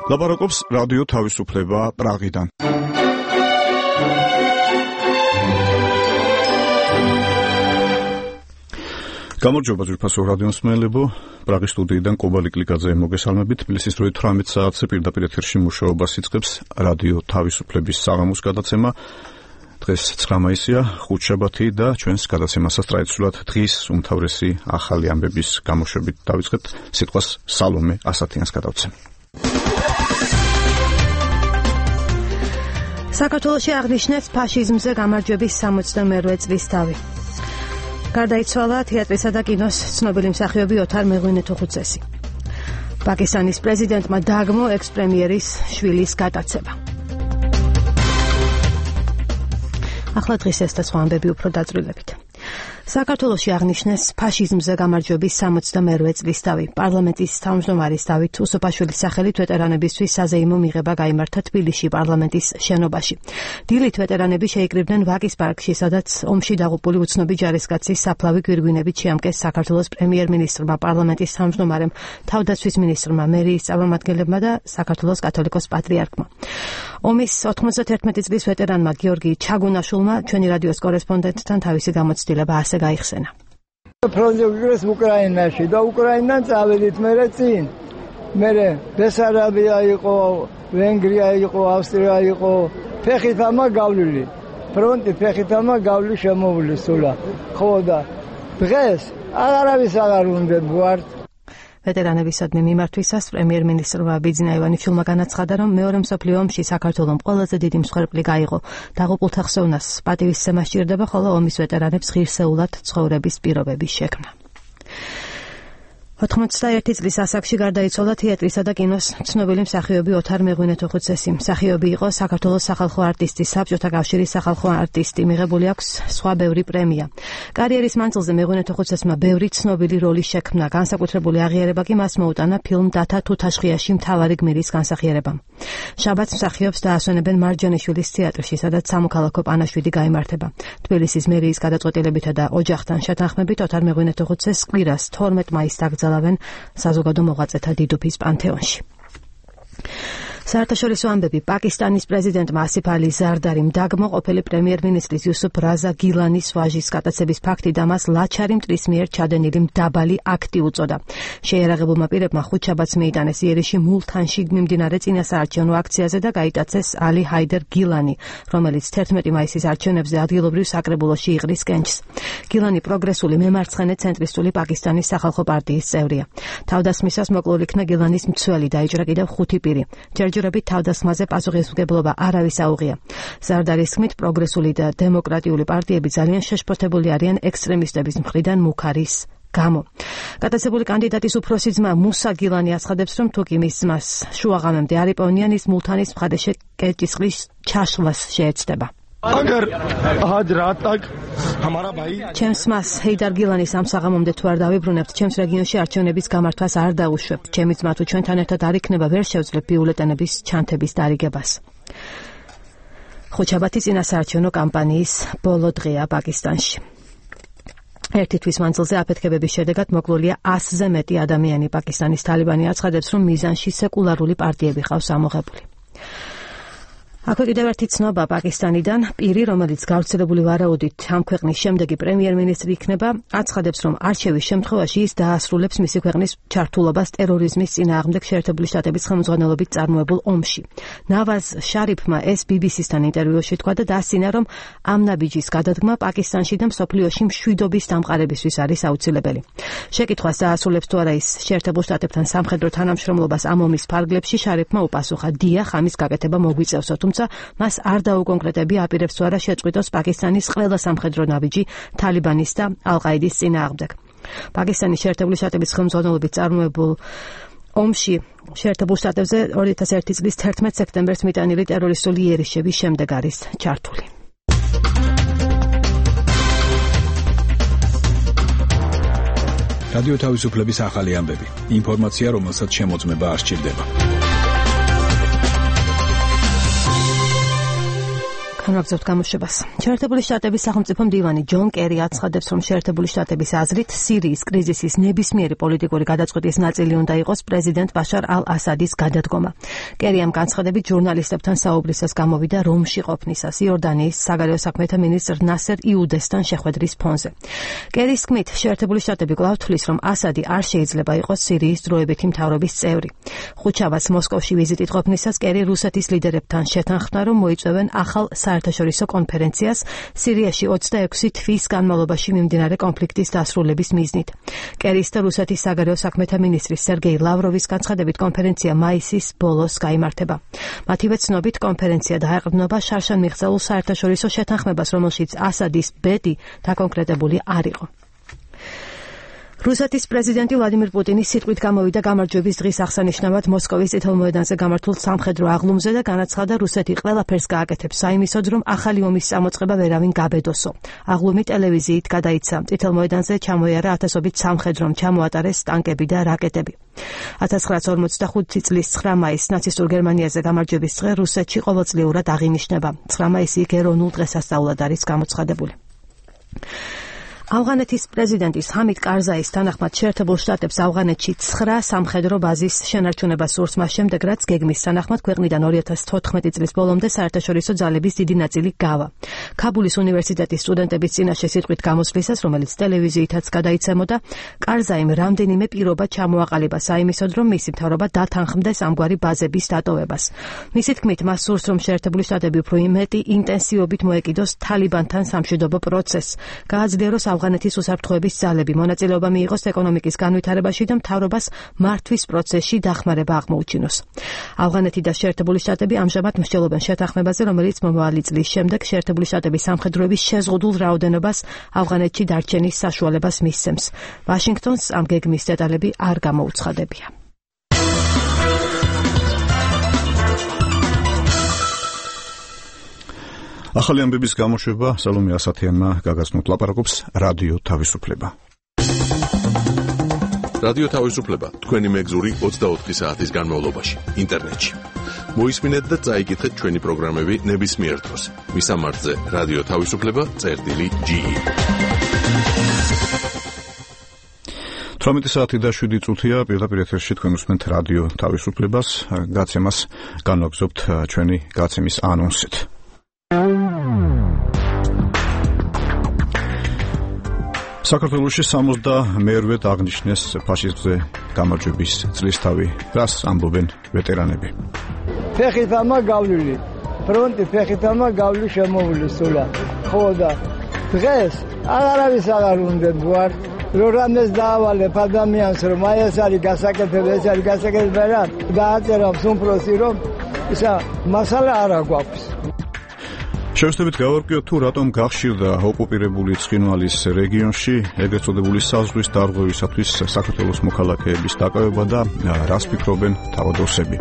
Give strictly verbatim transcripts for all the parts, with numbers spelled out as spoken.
ლაპარაკობს რადიო თავისუფლება პრაღიდან. გამარჯობა ძვირფასო რადიო მსმენელებო, პრაღის სტუდიიდან კობალი კლიკაძე მოგესალმებით. თბილისის დროით თვრამეტ საათზე პირდაპირ ეთერში მუშაობას იწყებს რადიო თავისუფლების საღამოს გადაცემა. დღეს ცხრა მაისია, ხუთშაბათი და ჩვენს გადაცემასაც ტრადიციულად დღის უმთავრესი ახალი ამბების გამოშვებით დავიწყებთ. სიტყვას სალომე ასათიანს გადავცემ. საქართველოში აღნიშნეს ფაშიზმზე გამარჯვების სამოცდამეერთე წლის თავი. გარდაიცვალა თეატრისა და კინოს ცნობილი მსახიობი ოთარ მეღვინეთუხუცესი. პაკისტანის პრეზიდენტმა დააგმო ექს-პრემიერის შვილის გატაცება. ახლა დღის ეს და სხვა ამბები უფრო დაწვრილებით. საქართველოში აღნიშნეს ფაშიზმზე გამარჯვების სამოცდამეერთე წლის თავი. პარლამენტის თავმჯდომარის დავით უსუფაშვილის სახელით ვეტერანებისთვის საზეიმო მიღება გაიმართა თბილისში პარლამენტის შენობაში. დილით ვეტერანები შეიკრიბნენ ვაკის პარკში, სადაც ომში დაღუპული უცნობი ჯარისკაცის საფლავი გვირგვინებით შეამკეს საქართველოს პრემიერ-მინისტრმა, პარლამენტის თავმჯდომარემ, თავდაცვის მინისტრმა, მერიის წარმომადგენლებმა და საქართველოს კათოლიკოს პატრიარქმა. ომის ოთხმოცდაერთმეტი წლის ვეტერანმა გიორგი ჩაგუნაშვილმა ჩვენი რადიოს კორესპონდენტთან თავისი გამოცდილება ასე გაიხსენა. ფრონტზე ვიგრეს უკრაინაში და უკრაინიდან წავედით მერე წინ. მერე ბესარაბია იყო, ვენგრია იყო, ავსტრია იყო, ფეხით ამა გავლილი. ფრონტი ფეხით ამა გავლილი შემოვლი სულა. ხო და დღეს აღარავის აღარ უნდა ვართ. ვეტერანებისადმი მიმართვისას პრემიერ-მინისტრმა ბიძინა ივანიშვილმა განაცხადა, რომ მეორე მსოფლიო ომში საქართველომ ყველაზე დიდი მსხვერპლი გაიღო. დაღუპულთა ხსოვნას პატივისცემა სჭირდება, ხოლო ომის ვეტერანებს ღირსეულად ცხოვრების პირობების შექმნა. ოთხმოცდაერთი წლის ასაკში გარდაიცვალა თეატრისა და კინოს ცნობილი მსახიობი ოთარ მეღვინეთუხუცესი. მსახიობი იყო საქართველოს სახალხო არტისტი, საბჭოთა კავშირის სახალხო არტისტი, მიღებული აქვს სხვა ბევრი პრემია. კარიერის მანძილზე მეღვინეთუხუცესმა ბევრი ცნობილი როლი შექმნა. განსაკუთრებული აღიარება კი მას მოუტანა ფილმ დათა თუთაშხიაში მთავარი გმირის განსახიერებამ. შაბათს მსახიობს დაასვენებენ მარჯანიშვილის თეატრში, სადაც სამოქალაქო პანაშვიდი გაიმართება. თბილისის მერიის გადაწყვეტილებითა და ოჯახთან შეთანხმებით ოთარ მეღვინეთუხუცესს კვირას თორმეტ მაისს დაკრძალავენ საზოგადო მოღვაწეთა დიდუფის პანთეონში. საერთაშორისო ამბები. პაკისტანის პრეზიდენტმა ასიფ ალი ზარდარიმ დააგმო ყოფილი პრემიერ-მინისტრის იუსუფ რაზა გილანის ვაჟის გატაცების ფაქტი და მას ლაჩარი მტრის მიერ ჩადენილი მდაბალი აქტი უწოდა. შეიარაღებულმა პირებმა ხუთშაბათს მიიტანეს იერიში მულთანში მიმდინარე წინასაარჩევნო აქციაზე და გაიტაცეს ალი ჰაიდერ გილანი, რომელიც თერთმეტი მაისის არჩევნებზე ადგილობრივ საკრებულოში იყრის კენჭს. გილანი პროგრესული მემარცხენე ცენტრისტული პაკისტანის სახალხო პარტიის წევრია. თავდასხმისას მოკლულ იქნა გილანის მცველი, დაიჭრა კიდევ ხუთი პირი. ჯერჯერობით თავდასხმაზე პასუხისმგებლობა არავის აუღია. ზარდარის თქმით, პროგრესული და დემოკრატიული პარტიები ძალიან შეშფოთებული არიან ექსტრემისტების მხრიდან მუქარის გამო. გატაცებული კანდიდატის უფროსი ძმა მუსა გილანი აცხადებს, რომ თუ კი მის ძმას შუაღამემდე არ იპოვნიან, ის მულთანის მხარეში კეჭისყრის ჩაშლას შეეცდება. अगर आज रात तक हमारा भाई ჩემს მას ჰეიდარ გილანის ამ საღამომდე თუ არ დავიბრუნებთ, ჩემს რეგიონში არჩევნების გამართვას არ დაუშვებთ. ჩემი ძმა თუ ჩვენთან ერთად არ იქნება, ვერ შევძლებ ბიულეტენების ჩანთების დარიგებას. ხუთშაბათი წინასაარჩევნო კამპანიის ბოლო დღეა პაკისტანში. ერთი თვის მანძილზე აფეთქებების შედეგად მოკლულია ასზე მეტი ადამიანი. პაკისტანის თალიბანი აცხადებს, რომ მიზანში სეკულარული პარტიები ყავს ამოღებული. აქვე კიდევ ერთი ცნობა პაკისტანიდან. პირი, რომელიც გავრცელებული ვარაუდით ამ ქვეყნის შემდეგი პრემიერ-მინისტრი იქნება, აცხადებს, რომ არჩევის შემთხვევაში ის დაასრულებს მისი ქვეყნის ჩართულობას ტერორიზმის წინააღმდეგ შეერთებული შტატების ხელმძღვანელობით წარმოებულ ომში. ნავაზ შარიფმა ეს ბი ბი სისთან ინტერვიუში თქვა და დასცინა, რომ ამ ნაბიჯის გადადგმა პაკისტანში და მსოფლიოში მშვიდობის დამყარებისთვის არის აუცილებელი. შეკითხვას დაასრულებს თუ არა ის შეერთებულ შტატებთან სამხედრო თანამშრომლობას ამ ომის ფარგლებში, შარიფმა უპასუხა, დიახ, ამის გაკეთება მოგვიწევსო, თუმცა მას არ დაუკონკრეტებია აპირებს თუ არა შეწყვიტოს პაკისტანის ყველა სამხედრო ნაბიჯი თალიბანის და ალ-ყაიდის წინააღმდეგ. პაკისტანის შეერთებული შტატების ხელმძღვანელობით წარმოებულ ომში შეერთებულ შტატებზე ორი ათას ერთი წლის თერთმეტ სექტემბერს მიტანილი ტერორისტული იერიშების შემდეგ არის ჩართული. რადიო თავისუფლების ახალი ამბები. ინფორმაცია, რომელსაც შემოწმება არ სჭირდება. განაგზავთ გამოშვებას. შეერთებული შტატების სახელმწიფო მდივანი ჯონ კერი აცხადებს, რომ შეერთებული შტატების აზრით სირიის კრიზისის ნებისმიერი პოლიტიკური გადაწყვეტის ნაწილი უნდა იყოს პრეზიდენტ ბაშარ ალ-ასადის გადადგომა. კერი ამ განცხადებით ჟურნალისტებთან საუბრისას გამოვიდა რომში ყოფნისას იორდანიის საგარეო საქმეთა მინისტრ ნასერ იუდესთან შეხვედრის ფონზე. კერის თქმით, შეერთებული შტატები კვლავ თვლის, რომ ასადი არ შეიძლება იყოს სირიის დროებითი მთავრობის წევრი. ხუთშაბათს მოსკოვში ვიზიტით ყოფნისას კერი რუსეთის ლიდერებთან შეთანხმდა, რომ მოიწვევენ ახალ საერთაშორისო კონფერენციას სირიაში ოცდაექვსი თვის განმავლობაში მიმდინარე კონფლიქტის დასრულების მიზნით. კერის და რუსეთის საგარეო საქმეთა მინისტრის სერგეი ლავროვის განცხადებით კონფერენცია მაისის ბოლოს გაიმართება. მათივე ცნობით კონფერენცია დაეყრდნობა შარშან მიღწეულ საერთაშორისო შეთანხმებას, რომელშიც ასადის ბედი დაკონკრეტებული არ იყო. რუსეთის პრეზიდენტი ვლადიმირ პუტინის სიტყვით გამოვიდა გამარჯვების დღის აღსანიშნავად მოსკოვის წითელ მოედანზე გამართულ სამხედრო აღლუმზე და განაცხადა, რუსეთი ყველაფერს გააკეთებს საიმისოდ, რომ ახალი ომის წამოწყება ვერავინ გაბედოსო. აღლუმი ტელევიზიით გადაიცა. წითელ მოედანზე ჩამოიარა ათასობით სამხედრომ, ჩამოატარეს ტანკები და რაკეტები. ათას ცხრაასი ორმოცდახუთი წლის ცხრა მაისს ნაცისტურ გერმანიაზე გამარჯვების დღე რუსეთში ყოველწლიურად აღინიშნება. ცხრა მაისი იქ ეროვნულ დღესასწაულად არის გამოცხადებული. ავღანეთის პრეზიდენტის ჰამიდ კარზაის თანახმად შეერთებულ შტატებს ავღანეთში ცხრა სამხედრო ბაზის შენარჩუნება სურს მას შემდეგ, რაც გეგმის თანახმად ქვეყნიდან ორი ათას თოთხმეტი წლის ბოლომდე საერთაშორისო ძალების დიდი ნაწილი გავა. ქაბულის უნივერსიტეტის სტუდენტების წინაშე სიტყვით გამოსვლისას, რომელიც ტელევიზიითაც გადაიცემოდა, კარზაიმ რამდენიმე პირობა ჩამოაყალიბა საიმისოდ, რომ მისი მთავრობა დათანხმდეს ამგვარი ბაზების დატოვებას. მისი თქმით, მას სურს, რომ შეერთებული შტატები უფრო მეტი ინტენსივობით მოეკიდოს თალიბანთან სამშვიდობო პროცესს, გააძლიეროს ავღანეთის უსაფრთხოების ძალები, მონაწილეობა მიიღოს ეკონომიკის განვითარებაში და მთავრობას მართვის პროცესში დახმარება აღმოუჩინოს. ავღანეთი და შეერთებული შტატები ამჟამად მსჯელობენ შეთანხმებაზე, რომელიც მომავალი წლის შემდეგ შეერთებული შტატების სამხედროების შეზღუდულ რაოდენობას ავღანეთში დარჩენის საშუალებას მისცემს. ვაშინგტონს ამ გეგმის დეტალები არ გამოუცხადებია. ახალი ამბების გამოშვება სალომე ასათიანმა გაგაცნოთ, ლაპარაკობს რადიო თავისუფლება. რადიო თავისუფლება თქვენი მეგზური ოცდაოთხი საათის განმავლობაში ინტერნეტში. მოისმინეთ და წაიკითხეთ ჩვენი პროგრამები ნებისმიერ დროს. მისამართზე რადიო თავისუფლება წერტილი ჯი ი. თვრამეტი საათი და შვიდი წუთია პირდაპირ ეთერში თქვენ უსმენთ რადიო თავისუფლებას. გაცემას განვაგრძობთ ჩვენი გაცემის ანონსით. საქართველოში სამოცდამეერთედ აღნიშნეს ფაშიზმზე გამარჯვების წლისთავი, რას ამბობენ ვეტერანები. ფეხით ამა გავლილი, ფრონტი ფეხით ამა გავლილი შემოვლი სულა. ხო და დღეს აღარავის აღარ უნდა ვარ, რომ რამეს დაავალებ ადამიანს, რომ აი ეს არის გასაკეთებელი, ეს არის გასაკეთებელი რა, დააწერავს უმფროსი, რომ ისა მასალა არ აგვაქვს. შევსწრებით გავარკვიოთ თუ რატომ გახშირდა ოკუპირებული ცხინვალის რეგიონში ეგრეთ წოდებული საზღვის დარღვევისათვის საქართველოს მოქალაქეების დაკავება და რას ფიქრობენ თავადოსები.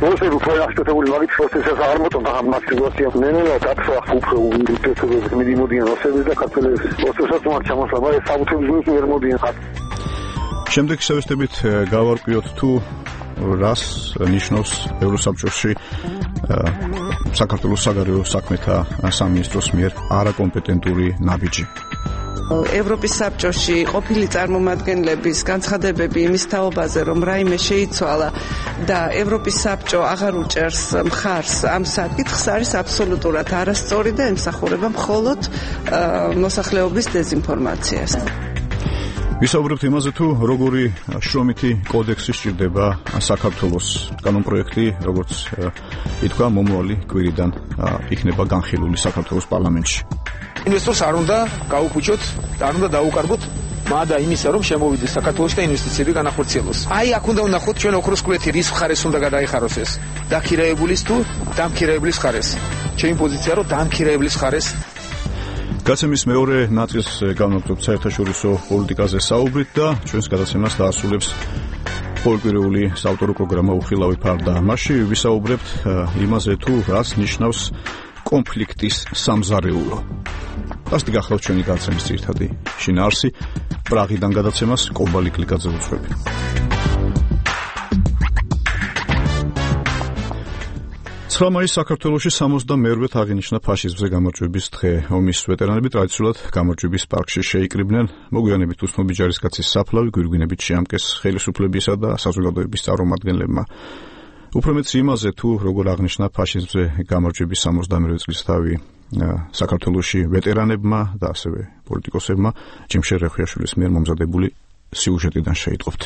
После того, что это были вагоны, просто сейчас армутом, там максимально менее, так что купе у тех, кто медимодин, но все это как-то просто сейчас мы чамос лабай, сабутым медимодин. შემდეგ შევსწრებით გავარკვიოთ თუ რას ნიშნავს ევროსაბჭოში საქართველოს საგარეო საქმეთა სამინისტროს მიერ არაკომპეტენტური ნაბიჯი. ევროპის საბჭოში ყოფილი წარმომადგენლების განცხადებები იმის თაობაზე, რომ რაიმე შეიცვალა და ევროპის საბჭო აღარ უჭერს მხარს ამ საკითხს, არის აბსოლუტურად არასწორი და ემსახურება მხოლოდ მოსახლეობის დეზინფორმაციას. ვისაუბრებთ იმაზე, თუ როგორი შრომითი კოდექსი სჭირდება საქართველოს. კანონპროექტი, როგორც ითქვა, მომავალი კვირიდან იქნება განხილული საქართველოს პარლამენტში. ინვესტორს არ უნდა გაუხუჭოთ, არ უნდა დაუკარგოთ, მადა იმისა, რომ შემოვიდეს საქართველოში და ინვესტიციები განახორციელოს. აი, აქ უნდა ვნახოთ ჩვენ ოქროს კვეთი, რის მხარეს უნდა გადაიხაროს ეს. დაქირაებულის თუ დამქირაებლის მხარეს. ჩემი პოზიცია რომ დამქირაებლის მხარეს. გაცემის მეორე ნაწილს განვაგრძობთ საერთაშორისო პოლიტიკაზე საუბრით და ჩვენს გადაცემას დაასრულებს პოლიტიკური საავტორო პროგრამა უხილავი ფარდა. მასში ვისაუბრებთ იმაზე, თუ რას ნიშნავს კონფლიქტის სამზარეულო. ასეთი გახლავთ ჩვენი გადაცემის ძირითადი შინაარსი. პრაღიდან გადაცემას კობალი კლიკაძე უძღვები. ცხრა მაისს საქართველოში სამოცდამეორვედ აღინიშნა ფაშიზმზე გამარჯვების დღე. ომის ვეტერანები ტრადიციულად გამარჯვების პარკში შეიკრიბნენ. მოგვიანებით უსმობი ჯარისკაცის საფლავი გვირგვინებით შეამკეს ხელისუფლებისა და საზოგადოების წარმომადგენლებმა. უფრო მეც იმაზე, თუ როგორ აღნიშნა ფაშიზმზე გამარჯვების სამოცდამეორვე წლისთავი საქართველოში ვეტერანებმა და ასევე პოლიტიკოსებმა, ჯიმშერ რეხვიაშვილის მიერ მომზადებული სიუჟეტიდან შეიტყობთ.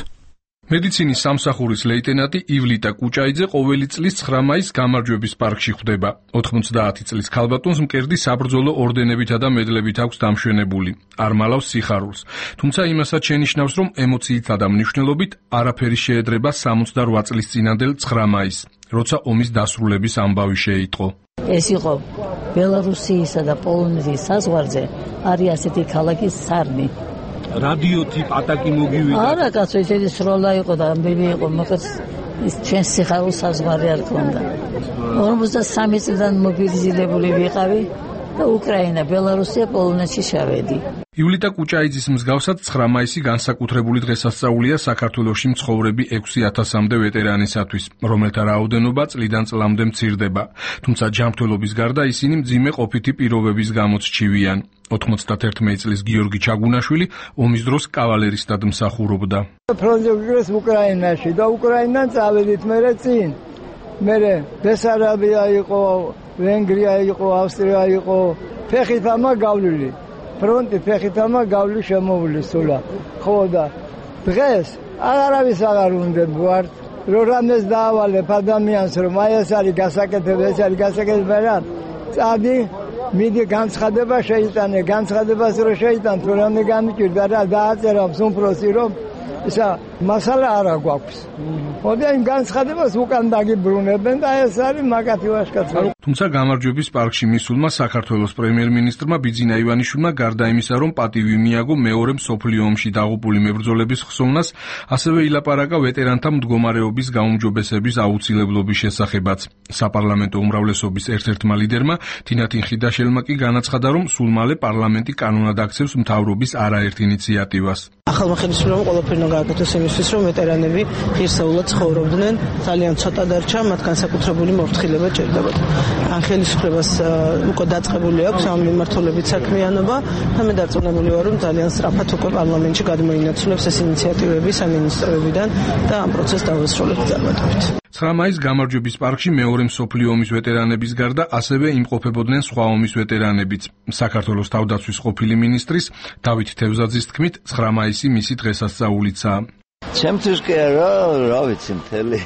მედიცინის სამსახურის ლეიტენანტი ივლიტა კუჭაიძე ყოველი წლის ცხრა მაისს გამარჯვების პარკში ხვდება. ოთხმოცდაათი წლის ქალბატონს მკერდი საბრძოლო ორდენებითა და მედლებით აქვს დამშვენებული. არ მალავს სიხარულს. თუმცა იმასაც შენიშნავს, რომ ემოციითა და მნიშვნელობით არაფერი შეედრება სამოცდარვა წლის წინანდელ ცხრა მაისს, როცა ომის დასრულების ამბავი შეიტყო. ეს იყო ბელარუსიისა და პოლონეთის საზღვარზე არის ასეთი ქალაქი სარნი. რადიო ტიპ ატაკი მოგივიდა. არა, კაცო, ესეთი სროლა იყო და ამბები იყო, მოკლედ ის ჩვენ სიხარულს საზღვარი არ ქონდა. ორმოცდასამი წლიდან მობილიზირებული ვიყავი და უკრაინა, ბელარუსია, პოლონეთში შავედი. ივლიტა კუჭაიძის მსგავსად ცხრა მაისი განსაკუთრებული დღესასწაულია საქართველოში მცხოვრები ექვსი ათასამდე ვეტერანისათვის, რომელთა რაოდენობა წლიდან წლამდე მცირდება. თუმცა ჯანმრთელობის გარდა ისინი მძიმე ყოფითი პირობების გამოც ჩივიან. ოთხმოცდაათი წლის გიორგი ჩაგუნაშვილი ომის დროს კავალერისტად მსახურობდა. ფრონტზე ვიგრეს უკრაინაში და უკრაინიდან წავედით მერე წინ. მერე ბესარაბია იყო, ვენგრია იყო, ავსტრია იყო, ფეხით ამა გავლილი. ფრონტი ფეხით ამა გავლილი შემოვლი სულა. ხო და დღეს აღარავის აღარ უნდა ვარ, რომ რამეს დაავალებ ადამიანს, რომ აი ეს არის გასაკეთებელი, ეს არის გასაკეთებელი რა. წადი მიდი განცხადება შეიტანე, განცხადებას რო შეიტან, თუ რამე გამიჭირდა რა დააწერა მსუმპროსი რომ ისა მასალა არა გვაქვს. მოდი იმ განცხადებას უკან დაგიბრუნებენ და ეს არის მაგათი ვაშკაცი. თუმცა გამარჯვების პარკში მისულმა საქართველოს პრემიერ-მინისტრმა ბიძინა ივანიშვილმა გარდა იმისა, რომ პატივი მიაგო მეორე მსოფლიო ომში დაღუპული მებრძოლების ხსოვნას, ასევე ილაპარაკა ვეტერანთა მდგომარეობის გაუმჯობესების აუცილებლობის შესახებაც. საპარლამენტო უმრავლესობის ერთ-ერთმა ლიდერმა თინათინ ხიდაშელმა კი განაცხადა, რომ სულ მალე პარლამენტი კანონად აქცევს მთავრობის არაერთ ინიციატივას. ახალმა ხელისუფლებამ ყველაფერი გააკეთოს იმისთვის, რომ ვეტერანები ღირსეულად ცხოვრობდნენ, ძალიან ცოტა დარჩა, მათ განსაკუთრებული მორთხილება ჭირდებოდა. ან ხელისუფლებას უკვე დაწყებული აქვს ამ მიმართულებით საქმიანობა და მე დარწმუნებული ვარ, რომ ძალიან სწრაფად უკვე პარლამენტში გადმოინაცვლებს ეს ინიციატივები სამინისტროებიდან და ამ პროცესს დავასრულებთ წარმატებით. ცხრა მაისს გამარჯვების პარკში მეორე მსოფლიო ომის ვეტერანების გარდა ასევე იმყოფებოდნენ სხვა ომის ვეტერანებიც. საქართველოს თავდაცვის ყოფილი მინისტრის დავით თევზაძის თქმით, ცხრა მაისი მისი დღესასწაულიცაა. ჩემთვის კი არა, რა ვიცი, მთელი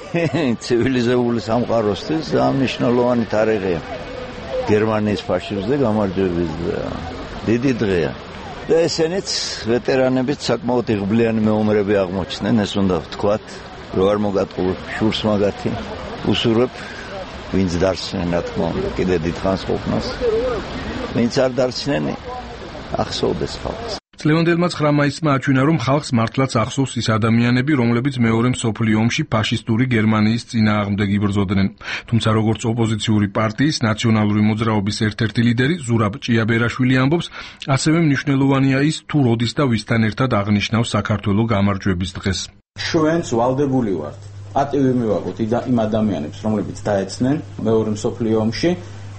ცივილიზებული სამყაროსთვის მნიშვნელოვანი თარიღია. გერმანიის ფაშიზმზე გამარჯვების დიდი დღეა. და ესენიც ვეტერანებიც საკმაოდ იღბლიანი მეომრები აღმოჩნდნენ, ეს უნდა ვთქვათ, რომ არ მოგატყუე შურს მაგათი. უსურვებ, ვინც დარჩნენ, რა თქმა უნდა, კიდე დიდხანს ყოფნას. ვინც არ დარჩნენ, ახსოვდეს ხალხს. ლევანდელმა ცხრა მაისმა აჩვენა, რომ ხალხს მართლაც ახსოვს ის ადამიანები, რომლებიც მეორე მსოფლიო ომში ფაშისტური გერმანიის წინააღმდეგ იბრძოდნენ. თუმცა როგორც ოპოზიციური პარტიის ნაციონალური მოძრაობის ერთ-ერთი ლიდერი ზურაბ ჭიაბერაშვილი ამბობს, ასევე მნიშვნელოვანია ის, თუ როდის და ვისთან ერთად აღნიშნავს საქართველოს გამარჯვების დღეს. ჩვენც ვალდებული ვართ პატივი მივაგოთ იმ ადამიანებს, რომლებიც დაეცნენ მეორე მსოფლიო ომში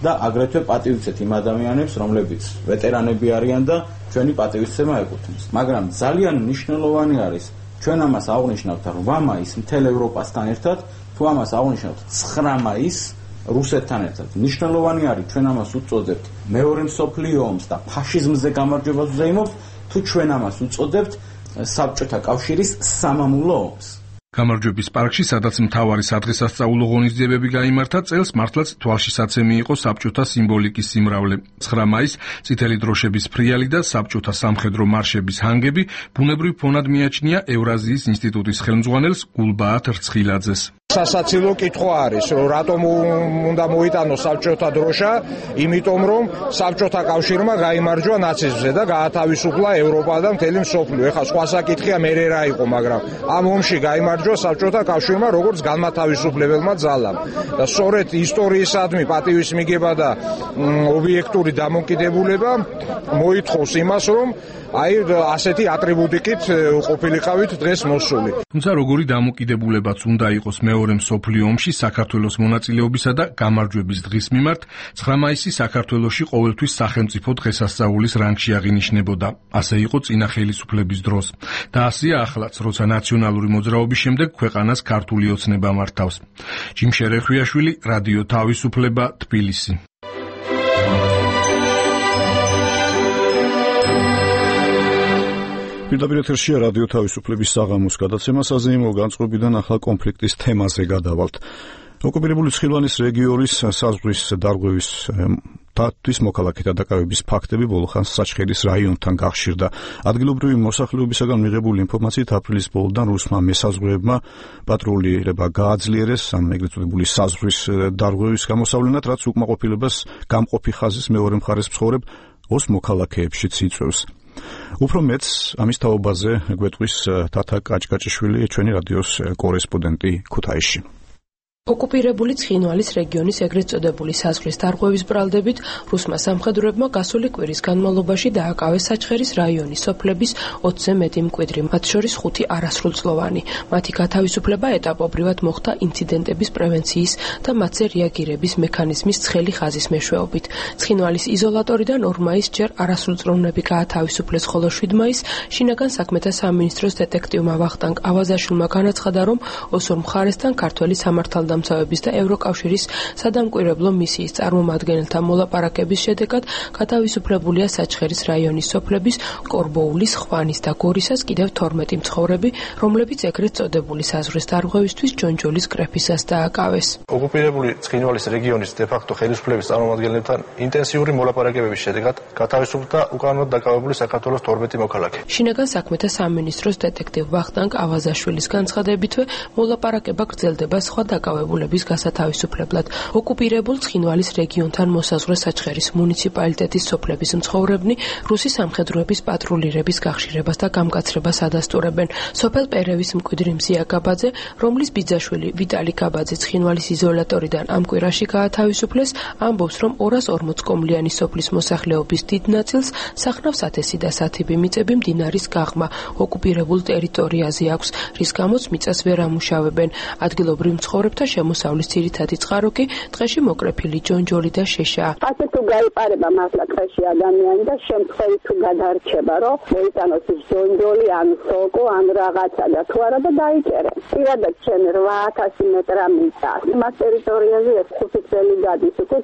და აგრეთვე პატივიცეთ იმ ადამიანებს, რომლებიც ვეტერანები არიან და ჩვენი პატივისცემა ეკუთვნის. მაგრამ ძალიან მნიშვნელოვანი არის ჩვენ ამას აღვნიშნავთ რვა მაისს მთელ ევროპასთან ერთად, თუ ამას აღვნიშნავთ ცხრა მაისს რუსეთთან ერთად. მნიშვნელოვანი არის ჩვენ ამას უწოდებთ მეორე მსოფლიო ომს და ფაშიზმზე გამარჯვებას ვზეიმობთ, თუ ჩვენ ამას უწოდებთ საბჭოთა კავშირის სამამულო ომს. გამარჯვების პარკში, სადაც მთავარი სადღესასწაულო ღონისძიებები გაიმართა, წელს მართლაც თვალშისაცემი იყო საბჭოთა სიმბოლიკის სიმრავლე. ცხრა მაისს წითელი დროშების ფრიალი და საბჭოთა სამხედრო მარშების ჰანგები ბუნებრივ ფონად მიაჩნია ევრაზიის ინსტიტუტის ხელმძღვანელს გულბაათ რცხილაძეს. სასაცილო კითხვა არის, რომ რატომ უნდა მოიტანოს საბჭოთა დროშა, იმიტომ რომ საბჭოთა კავშირმა გაიმარჯვა ნაციზმზე და გაათავისუფლა ევროპა და მთელი მსოფლიო. ეხლა სხვა საკითხია მე რა იყო, მაგრამ ამ ომში გაიმარჯვა საბჭოთა კავშირმა როგორც განმათავისუფლებელმა ძალამ. და სწორედ ისტორიისადმი პატივის მიგება და ობიექტური დამოკიდებულება მოითხოვს იმას, რომ აი ასეთი ატრიბუტიკით ყოფილიყავით დღეს მოსული. თუმცა როგორი დამოკიდებულებაც უნდა იყოს მეორე მსოფლიო ომში საქართველოს მონაწილეობისა და გამარჯვების დღის მიმართ, ცხრა მაისი საქართველოში ყოველთვის სახელმწიფო დღესასწაულის რანგში აღინიშნებოდა. ასე იყო წინა ხელისუფლების დროს. და ასეა ახლაც, როცა ნაციონალური მოძრაობის შემდეგ ქვეყანას ქართული ოცნება მართავს. ჯიმ შერეხვიაშვილი, რადიო თავისუფლება, თბილისი. პირდაპირ ეთერშია რადიო თავისუფლების საღამოს გადაცემა საზეიმო განწყობიდან ახალ კონფლიქტის თემაზე გადავალთ. ოკუპირებული ცხინვალის რეგიონის საზღვრის დარღვევის თვის მოქალაქეთა დაკავების ფაქტები ბოლოხანს საჩხერის რაიონთან გახშირდა. ადგილობრივი მოსახლეობისაგან მიღებული ინფორმაციით აპრილის ბოლოდან რუსმა მესაზღვრეებმა პატრულირება გააძლიერეს ამ ეგრეთ წოდებული საზღვრის დარღვევის გამოსავლენად, რაც უკმაყოფილებას გამყოფი ხაზის მეორე მხარეს მცხოვრებ ოს მოქალაქეებშიც იწვევს. უფრო მეც ამის თაობაზე გვეტყვის თათა კაჭკაჭიშვილი, ჩვენი რადიოს კორესპონდენტი ქუთაისში. ოკუპირებული ცხინვალის რეგიონის ეგრეთ წოდებული საზღვრის დარღვევის ბრალდებით რუსმა სამხედროებმა გასული კვირის განმავლობაში დააკავეს საჩხერის რაიონის სოფლების ოცზე მეტი მკვიდრი, მათ შორის ხუთი არასრულწლოვანი. მათი გათავისუფლება ეტაპობრივად მოხდა ინციდენტების პრევენციის და მათზე რეაგირების მექანიზმის ცხელი ხაზის მეშვეობით. ცხინვალის იზოლატორიდან ორ მაისს ჯერ არასრულწლოვნები გაათავისუფლეს, ხოლო შვიდ მაისს შინაგან საქმეთა სამინისტროს დეტექტივმა ვახტანგ ავაზაშვილმა განაცხადა, რომ ოსურ მხარესთან ქართველი სამართალდამცავი დამცავების და ევროკავშირის სადამკვირვებლო მისიის წარმომადგენელთა მოლაპარაკების შედეგად გათავისუფლებულია საჩხერის რაიონის სოფლების კორბოულის, ხვანის და გორისას კიდევ თორმეტი მცხოვრები, რომლებიც ეგრეთ წოდებული საზღვრის დარღვევისთვის ჯონჯოლის კრეფისას დააკავეს. ოკუპირებული ცხინვალის რეგიონის დე-ფაქტო ხელისუფლების წარმომადგენლებთან ინტენსიური მოლაპარაკებების შედეგად გათავისუფლდა უკანონოდ დაკავებული საქართველოს თორმეტი მოქალაქე. შინაგან საქმეთა სამინისტროს დეტექტივ ვახტანგ ავაზაშვილის განცხადებითვე მოლაპარაკება გრძელდება სხვა დაკავებულების გასათავისუფლებლად. ოკუპირებულ ცხინვალის რეგიონთან მოსაზღვრე საჩხერის მუნიციპალიტეტის სოფლების მცხოვრებნი რუსი სამხედროების პატრულირების გახშირებას და გამკაცრებას ადასტურებენ. სოფელ პერევის მკვიდრი მზია გაბაძე, რომლის ბიძაშვილი ვიტალი გაბაძე ცხინვალის იზოლატორიდან ამ კვირაში გაათავისუფლეს, ამბობს, რომ ორას ორმოც კომლიანი სოფლის მოსახლეობის დიდ ნაწილს სახნავს ათესი და სათიბი მიწები მდინარის გაღმა ოკუპირებულ ტერიტორიაზე აქვს, რის გამოც მიწას ვერ ამუშავებენ. ადგილობრივ მცხოვრებთა შემოსავლის ძირითადი წყარო კი ტყეში მოკრეფილი ჯონჯოლი და შეშაა. ასე თუ გაიპარება მართლა ტყეში ადამიანი და შემთხვევით თუ გადარჩება, რომ მოიტანოს ის ჯონჯოლი ან სოკო ან რაღაცა და თუ არა და დაიჭერენ. პირადად ჩვენ რვა ათასი მეტრა მიწა. იმას ტერიტორიაზე ეს ხუთი წელი გადის, უკვე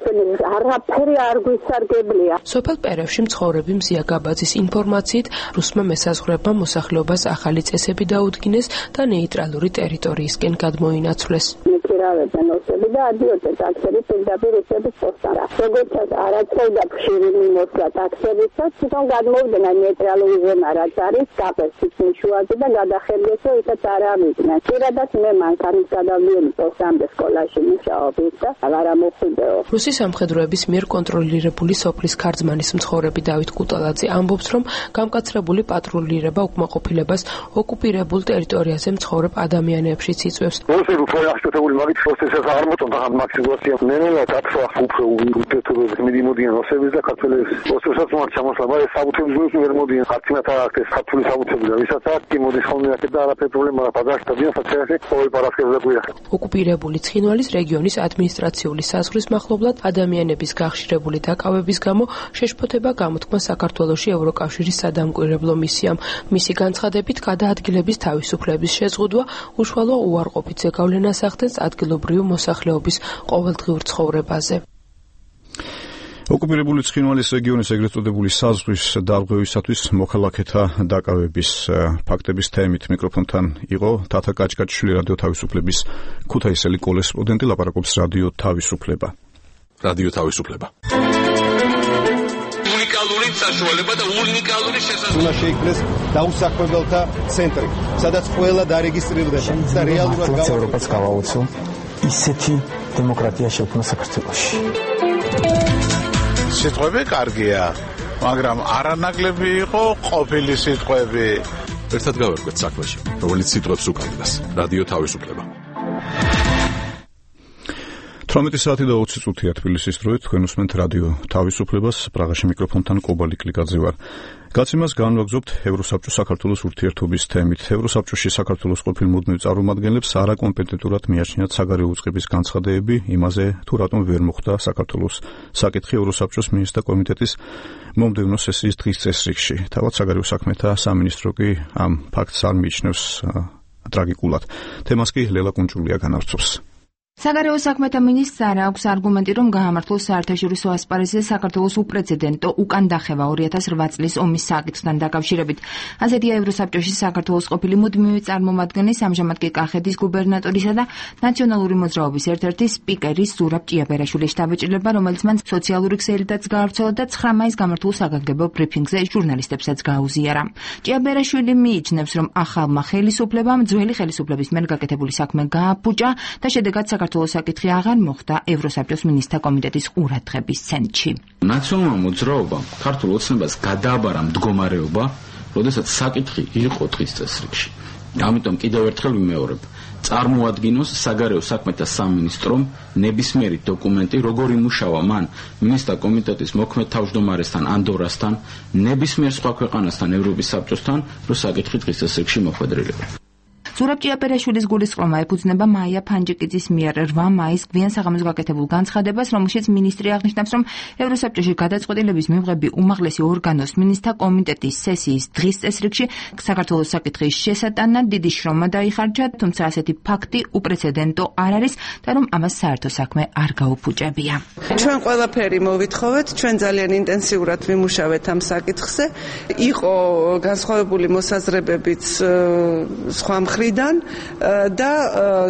არაფერი არ გვისარგებლია. სოფელ პერევში მცხოვრები მზია გაბაძის ინფორმაციით რუსმა მესაზღვრეებმა მოსახლეობას ახალი წესები დაუდგინეს და ნეიტრალური ტერიტორიისკენ გადმოინაცვლეს. მიქირავებენ ოსები და ადიოდნენ ტაქსები პირდაპირ რუსების პოსტთან. როგორც არაცხოვდა ხშირი მიმოსვლა ტაქსებისაც, თვითონ გადმოვიდნენ ნეიტრალური ზონა, რაც არის კაპერსის მიშუაზე და გადახერდეს, რომ ისიც არ ავიდნენ. პირადად მე მანქანის გადავიდი პოსტამდე სკოლაში მუშაობთ და აღარ მოხვიდეო. რუსი სამხედროების მიერ კონტროლირებული სოფლის ქარძმანის მცხოვრები დავით კუტალაძე ამბობს, რომ გამკაცრებული პატრულირება უკმაყოფილებას ოკუპირებულ ტერიტორიაზე მცხოვრებ ადამიანებშიც იწვევს. Așteptători mari, o să se armă tot am maximizat. Nenele dat să afupă un tuturor medimodien, o să vezi dacă le o să să mă chama să mai sabutem zis nu medimodien. Acțiunea ta este faptul sabutem. Visa ta că modificăm că da la problema la padașta bine face o parască de buia. ოკუპირებული ცხინვალის რეგიონის ადმინისტრაციული საზღვრის მახლობლად ადამიანების გახშირებული დაკავების გამო შეშფოთება გამოთქმა საქართველოში ევროკავშირის სადამკვირვებლო მისიამ. მისი განცხადებით გადაადგილების თავისუფლების შეზღუდვა უშუალო უარყოფით ზეგავლენას ახდენს ადგილობრივი მოსახლეობის ყოველდღიურ ცხოვრებაზე. ოკუპირებული ცხინვალის რეგიონის ეგრეთ წოდებული საზღვრის დარღვევისათვის მოქალაქეთა დაკავების ფაქტების თემით მიკროფონთან იყო თათა კაჭკაჭიშვილი, რადიო თავისუფლების ქუთაისელი კორესპონდენტი, ლაპარაკობს რადიო თავისუფლება. რადიო თავისუფლება. უნიკალური საშუალება და უნიკალური შესაძლებლობა. უნდა შეიქმნეს დაუსაქმებელთა ცენტრი, სადაც ყველა დარეგისტრირდება და რეალურად ევროპას გავაუცო ისეთი დემოკრატია შექმნა საქართველოში. სიტყვები კარგია, მაგრამ არანაკლები იყო ყოფილი სიტყვები. ერთად გავერკვეთ საქმეში, რომელიც სიტყვებს უკავშირდება. რადიო თავისუფლება. თვრამეტი საათი და ოცი წუთია თბილისის დროით, თქვენ უსმენთ რადიო თავისუფლებას, პრაღაში მიკროფონთან კობალი კლიკაძე ვარ. გაცემას განვაგრძობთ ევროსაბჭოს საქართველოს ურთიერთობის თემით. ევროსაბჭოში საქართველოს ყოფილ მუდმივ წარმომადგენლებს არაკომპეტენტურად მიაჩნიათ საგარეო უწყების განცხადებები იმაზე, თუ რატომ ვერ მოხდა საქართველოს საკითხი ევროსაბჭოს მინისტრთა კომიტეტის მომდევნო სესიის დღის წესრიგში. თავად საგარეო საქმეთა სამინისტრო კი ამ ფაქტს არ მიიჩნევს ტრაგიკულად. თემას კი ლელა კუნჭულია განავრცობს. საგარეო საქმეთა მინისტრს არ აქვს არგუმენტი, რომ გაამართლოს საერთაშორისო ასპარეზზე საქართველოს უპრეცედენტო უკან დახევა ორი ათას რვა წლის ომის საკითხთან დაკავშირებით. ასეთია ევროსაბჭოში საქართველოს ყოფილი მუდმივი წარმომადგენლის, ამჟამად კი კახეთის გუბერნატორისა და ნაციონალური მოძრაობის ერთ-ერთი სპიკერის ზურაბ ჭიაბერაშვილის შთაბეჭდილება, რომელიც მან სოციალური ქსელითაც გაავრცელა და ცხრა მაისს გამართულ საგანგებო ბრიფინგზე ჟურნალისტებსაც გაუზიარა. ჭიაბერაშვილი მიიჩნევს, რომ ახალმა ხელისუფლებამ ძველი ხელისუფლების მიერ გაკეთებული საქმე გააფუჭა და შედეგად საქართველოს საკითხი აღარ მოხდა ევროსაბჭოს მინისტრთა კომიტეტის ყურადღების ცენტრში. ნაციონალურმა მოძრაობამ ქართულ ოცნებას გადააბარა მდგომარეობა, როდესაც საკითხი იყო დღის წესრიგში. ამიტომ კიდევ ერთხელ ვიმეორებ, წარმოადგინოს საგარეო საქმეთა სამინისტრომ ნებისმიერი დოკუმენტი, როგორ იმუშავა მან მინისტრთა კომიტეტის მოქმედ თავმჯდომარესთან ანდორასთან, ნებისმიერ სხვა ქვეყანასთან, ევროპის საბჭოსთან, რომ საკითხი დღის წესრიგში მოხვედრილება. ზურაბ ჭიაბერაშვილის გულისწყრომა ეფუძნება მაია ფანჯიკიძის მიერ რვა მაისს გვიან საღამოს გაკეთებულ განცხადებას, რომელშიც მინისტრი აღნიშნავს, რომ ევროსაბჭოში გადაწყვეტილების მიღები უმაღლესი ორგანოს მინისტრთა კომიტეტის სესიის დღის წესრიგში საქართველოს საკითხის შესატანად დიდი შრომა დაიხარჯა, თუმცა ასეთი ფაქტი უპრეცედენტო არ არის და რომ ამას საერთო საქმე არ გაუფუჭებია. ჩვენ ყველაფერი მოვითხოვეთ, ჩვენ ძალიან ინტენსიურად ვიმუშავეთ ამ საკითხზე. იყო განსხვავებული მოსაზრებებიც სხვა მხრიდან და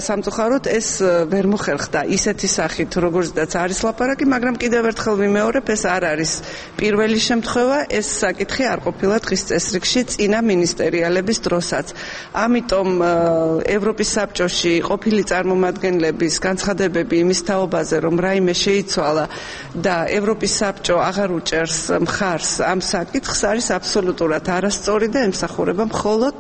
სამწუხაროდ ეს ვერ მოხერხდა ისეთი სახით, როგორცაც არის ლაპარაკი, მაგრამ კიდევ ერთხელ ვიმეორებ, ეს არ არის პირველი შემთხვევა, ეს საკითხი არ ყოფილა დღის წესრიგში წინა მინისტერიალების დროსაც. ამიტომ ევროპის საბჭოში ყოფილი წარმომადგენლების განცხადებები იმის თაობაზე, რომ რაიმე შეიცვალა და ევროპის საბჭო აღარ უჭერს მხარს ამ საკითხს, არის აბსოლუტურად არასწორი და ემსახურება მხოლოდ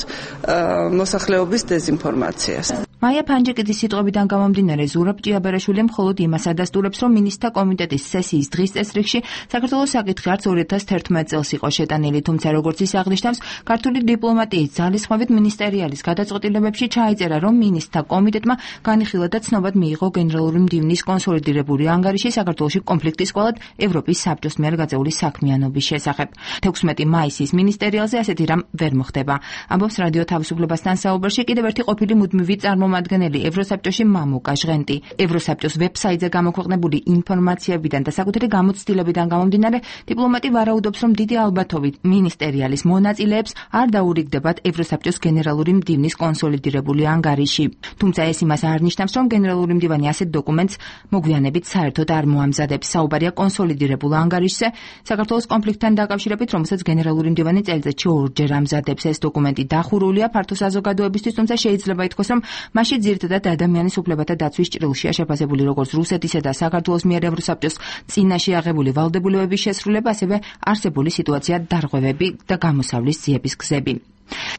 მოსახლეობის დეზინფორმაციას. მაია ფანჯიკიძის სიტყვებიდან გამომდინარე, ზურაბ ჭიაბერაშვილი მხოლოდ იმას ადასტურებს, რომ მინისტრთა კომიტეტის სესიის დღის წესრიგში საქართველოს საკითხი არც ორი ათას თერთმეტ წელს იყო შეტანილი, თუმცა როგორც ის აღნიშნავს, ქართული დიპლომატიის ძალისხმევით მინისტერიალის გადაწყვეტილებებში ჩაიწერა, რომ მინისტრთა კომიტეტმა განიხილა და ცნობად მიიღო გენერალური მდივნის კონსოლიდირებული ანგარიში საქართველოში კონფლიქტის კვალად ევროპის საბჭოს მიერ გაწეული საქმიანობის შესახებ. თექვსმეტი მაისის მინისტერიალზე ასეთი რამ ვერ მოხდება. ამბობს რადიო თავისუფლებასთან საუბარში კიდევ ერთი ყოფილი მუდმივი წარმომადგენელი ევროსაბჭოში მამუკა ჟღენტი. ევროსაბჭოს ვებსაიტზე გამოქვეყნებული ინფორმაციებიდან და საკუთარი გამოცდილებიდან გამომდინარე, დიპლომატი ვარაუდობს, რომ დიდი ალბათობით მინისტერიალის მონაწილეებს არ დაურიგდებათ ევროსაბჭოს გენერალური მდივნის კონსოლიდირებული ანგარიში. თუმცა ეს იმას არ ნიშნავს, რომ გენერალური მდივანი ასეთ დოკუმენტს მოგვიანებით საერთოდ არ მოამზადებს. საუბარია კონსოლიდირებულ ანგარიშზე, საქართველოს კონფლიქტთან დაკავშირებით, რომელსაც გენერალური მდივანი წელიწადში ორჯერ ამზადებს. ეს დოკუმენტი დახურულია ფართო საზოგადოებისთვის, თუმცა შეიძლება ითქვას, რომ მასში ძირითადად ადამიანის უფლებათა დაცვის ჭრილშია შეფასებული როგორც რუსეთისა და საქართველოს მიერ ევროსაბჭოს წინაშე აღებული ვალდებულებების შესრულება, ასევე არსებული სიტუაცია, დარღვევები და გამოსავლის ძიების გზები.